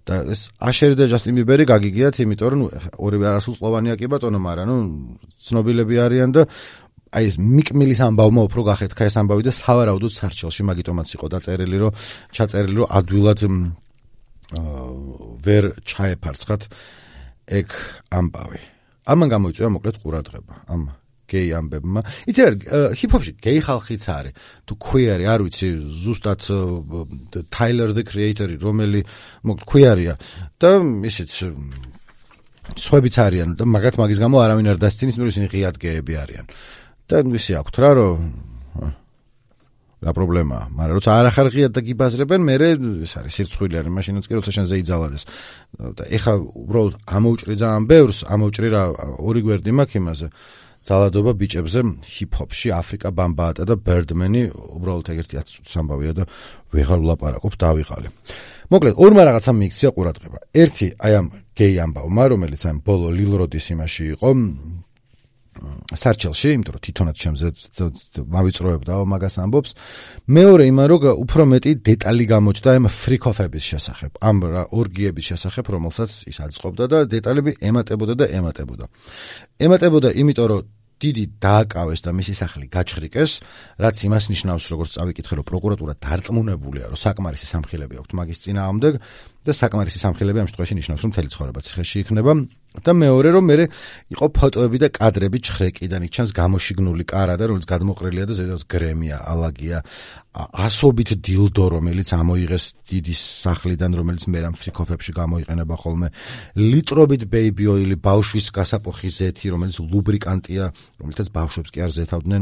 [SPEAKER 1] და ეს აშერი და ჯასტინ ბიბერი გაგიგიათ, იმიტომ რომ ორივე არასრულწლოვანია კი ბატონო, მაგრამ ნუ ცნობილები არიან და აი ეს მიკმილის ამბავმა უფრო გახეთქა ეს ამბავი და სავარაუდოდ სარჩელში მაგიტომაც იყო დაწერილი, რომ ჩაწერილი, რომ ადვილად ვერ ჩაეფარცხათ ეგ ამბავი. ამან გამოიწვია მოკლედ ყურადღება ამ გეი ამბებმა. იცი რა, ჰიპ-ჰოპში გეი ხალხიც არის. თუ queer არ ვიცი, ზუსტად Tyler the Creator-ი, რომელი მოკლედ queer-ია და ისიც სხვაებიც არიან და მაგათ მაგის გამო არავინ არ დასცინის, მე ისინი ღიად გეები არიან. და ისე აქვთ რა, რომ რა პრობლემაა, მაგრამ როცა არ ახარ ღიად და გიბაზრებენ, მე ეს არის სირცხვილი არის, მაშინაც კი როცა შენზე იძალადეს. და ეხა უბრალოდ ამოუჭრი ძალიან ბევრს, ამოუჭრი რა ორი გვერდი მაქვს იმაზე. ძალადობა ბიჭებზე ჰიპ-ჰოპში, აფრიკა ბამბაატა და ბერდმენი, უბრალოდ ეგერთი ათი წუთის ამბავია და ვეღარ ვლაპარაკობ, დავიღალე. მოკლედ, ორმა რაღაცამ მიიქცია ყურადღება. ერთი აი ამ გეი ამბავმა, რომელიც ამ ბოლო ლილროდის იმაში იყო, სარჩელში, იმიტომ რომ თვითონაც ჩემზე მავიწროებდაო მაგას ამბობს. მეორე იმან რომ უფრო მეტი დეტალი გამოჩნდა ამ ფრიკოფების შესახებ, ამ ორგიების შესახებ, რომელსაც ის აწყობდა და დეტალები ემატებოდა და ემატებოდა. ემატებოდა იმიტომ რომ დიდი დააკავეს და მისი სახლი გაჩხრიკეს, რაც იმას ნიშნავს, როგორც წავიკითხე, რომ პროკურატურა დარწმუნებულია, რომ საკმარისი სამხილები აქვს მაგის წინააღმდეგ და საკმარისი სამხილები ამ შემთხვევაში ნიშნავს, რომ მთელი ცხოვრება ციხეში იქნება. და მეორე რომ მე იყო ფოტოები და კადრები ჩხრეკიდან, იქ ჩანს გამოშიგნული კარა და რომელიც გადმოყრილია და ზედაც გრემია, ალაგია, ასობით დილდო, რომელიც ამოიღეს დიდი სახლიდან, რომელიც მერამ ფრიკოფებში გამოიყენება ხოლმე, ლიტრობით ბეიბი ოილი, ბავშვის გასაპოხი ზეთი, რომელიც ლუბრიკანტია, რომელთაც ბავშვებს კი არ ზეთავდნენ,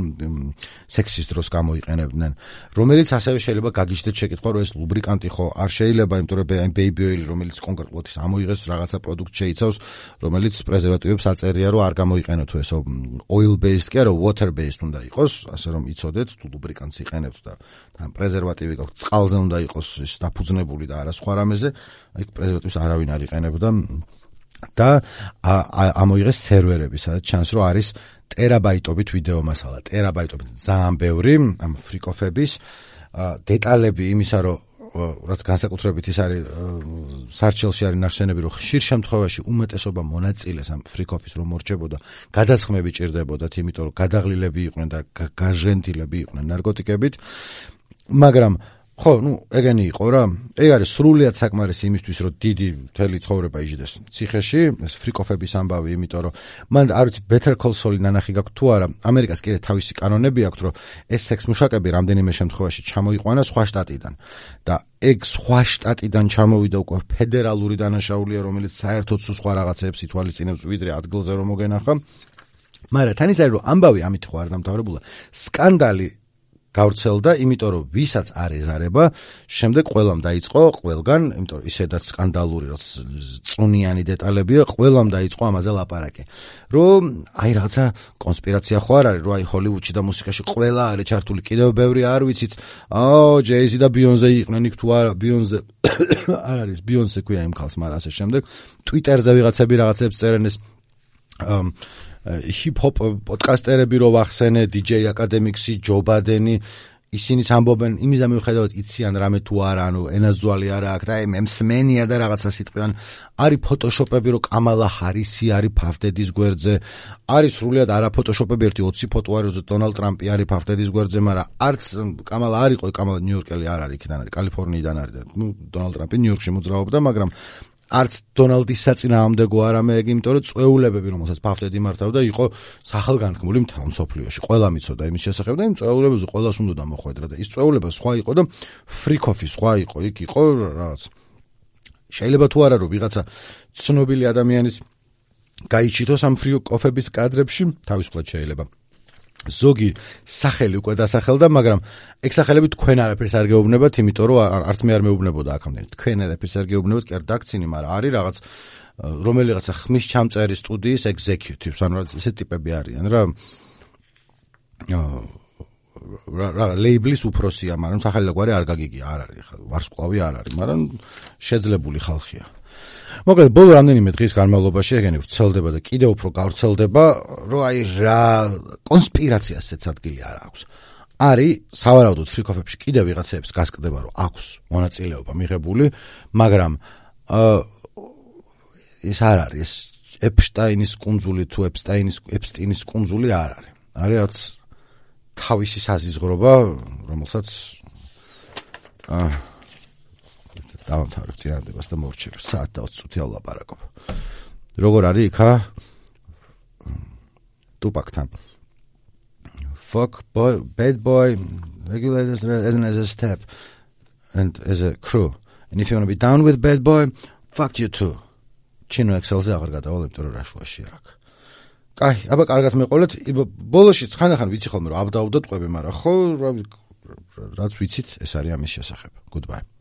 [SPEAKER 1] სექსის დროს გამოიყენებდნენ, რომელიც ასევე შეიძლება გაგიჩნდეთ შეკითხვა, რომ ეს ლუბრიკანტი ხო არ შეიძლება, იმიტომ რომ აი ბეიბი ოილი, რომელიც კონკრეტულად ის ამოიღეს რაღაცა პროდუქტ შეიცავს, რომელიც პრეზერვატივებს აწერია, რომ არ გამოიყენოთ ეს oil based კი არა, water based უნდა იყოს, ასე რომ იცოდეთ, თუ ლუბრიკანტს იყენებთ და თან პრეზერვატივი გაქვთ, წყალზე უნდა იყოს ის დაფუძნებული და არა სხვა რამეზე, აი პრეზერვატივს არავინ არ იყენებდა და ამოიღეს სერვერები, სადაც ჩანს, რომ არის ტერაბაიტობით ვიდეო მასალა, ტერაბაიტობით ძალიან ბევრი ამ ფრიკოფების დეტალები იმისა, რომ რაც განსაკუთრებით ის არის სარჩელში არის ნახსენები, რომ ხშირ შემთხვევაში უმეტესობა მონაწილეს ამ ფრიკოფის რომ მორჩებოდა, გადასხმები ჭირდებოდათ, იმიტომ რომ გადაღლილები იყვნენ და გაჟენtildeები იყვნენ ნარკოტიკებით, მაგრამ ხო, ნუ ეგენი იყო რა. ეგ არის სრულიად საკმარისი იმისთვის, რომ დიდი მთელი ცხოვრება იჯდეს ციხეში, ეს ფრიკოფების ამბავი, იმიტომ რომ მან არ ვიცი Better Call Saul-ი ნანახი გაქვთ თუ არა. ამერიკას კიდე თავისი კანონები აქვს, რომ ეს სექს მუშაკები რამდენიმე შემთხვევაში ჩამოიყვანა სხვა შტატიდან და ეგ სხვა შტატიდან ჩამოვიდა უკვე ფედერალური დანაშაულია, რომელიც საერთოდ სხვა რაღაცებს ითვალისწინებს ვიდრე ადგილზე რომ მოგენახა. მაგრამ თან ის არის რომ ამბავი ამით ხო არ დამთავრებულა. სკანდალი გავრცელდა, იმიტომ რომ ვისაც არ ეზარება, შემდეგ ყველამ დაიწყო, ყველგან, იმიტომ რომ ისედაც სკანდალური, რომ წუნიანი დეტალებია, ყველამ დაიწყო ამაზე ლაპარაკი. რომ აი რაღაცა კონსპირაცია ხო არ არის, რომ აი ჰოლივუდში და მუსიკაში ყველა არის ჩართული, კიდევ ბევრი არ ვიცით. აო, ჯეიზი და ბიონზე იყვნენ იქ თუ არა, ბიონზე არ არის, ბიონზე ქვია იმ ხალხს, მაგრამ ასე შემდეგ. ტვიტერზე ვიღაცები რაღაცებს წერენ ეს ჰიპ-ჰოპ პოდკასტერები რო ვახსენე, დი-ჯეი აკადემიქსი, ჯო ბადენი, ისინიც ამბობენ იმის მიუხედავად იციან რამე თუ არა, ანუ ენაზძვალი არა აქვს და აი მემსმენია და რაღაცა სიტყვიან. არის ფოტოშოპები, რომ კამალა ჰარისი არის ფავდედის გვერდზე, არის სრულიად არა ფოტოშოპები, ერთი ოცი ფოტო არის, რომ დონალდ ტრამპი არის ფავდედის გვერდზე, მაგრამ არც კამალა არ იყო, კამალა ნიუ-იორკელი არ არის, იქიდან არის, კალიფორნიიდან არის და ნუ დონალდ ტრამპი ნიუ-იორკში მოძრაობდა, მაგრამ არც დონალდის საწინააღმდეგო არა მე ეგ, იმიტომ რომ წვეულებები, რომელსაც ფავდედი მართავდა, იყო სახელგანთქმული მთელ მსოფლიოში. ყველა მიცოდა იმის შესახებ და იმ წვეულებებზე ყველას უნდა მოხვედრა და ის წვეულება სხვა იყო და ფრიკოფი სხვა იყო, იქ იყო რაღაც. შეიძლება თუ არა რომ ვიღაცა ცნობილი ადამიანის გაიჩითოს ამ ფრიკოფების კადრებში, თავისუფლად შეიძლება. ზოგი სახელი უკვე დასახელდა, მაგრამ ეგ სახელები თქვენ არაფერს არ გეუბნებათ, იმიტომ რომ არც მე არ მეუბნებოდა აქამდე. თქვენ არაფერს არ გეუბნებათ, კი არ დაგცინი, მაგრამ არის რაღაც რომელიღაცა ხმის ჩამწერი სტუდიის executives, ანუ ესე ტიპები არიან რა. რა ლეიბლის უფროსია, მაგრამ სახელი და გვარი არ გაგიგია, არ არის, ვარსკვლავი არ არის, მაგრამ შეძლებული ხალხია. მოკლედ, ბოლო რამდენიმე დღის განმავლობაში ეგენი ვრცელდება და კიდევ უფრო გავრცელდება, რომ აი რა კონსპირაციასაც ადგილი არ აქვს. არის სავარაუდოდ ფრიკოფებში კიდევ ვიღაცებს გასკდება, რომ აქვს მონაწილეობა მიღებული, მაგრამ ეს არ არის ეპშტაინის კუნძული თუ ეპსტაინის ეპსტინის კუნძული არ არის. არის რაც თავისი საზიზღრობა, რომელსაც აა დავამთავრებ წინადებას და მოვჩერებ საათ და ოცი წუთი ავლაპარაკობ. როგორ არის იქა ტუპაკთან? Fuck boy, bad boy, regulators as an as a step and as a crew. And if you want to be down with bad boy, fuck you too. ჩინო ექსელზე აღარ გადავალ, იმიტომ რომ რაშუაში აქ. კაი, აბა კარგად მეყოლეთ. ბოლოში ხანდახან ვიცი ხოლმე რომ აბდაუდოთ ყვები, მაგრამ ხო რაც ვიცით, ეს არის ამის შესახებ. Goodbye.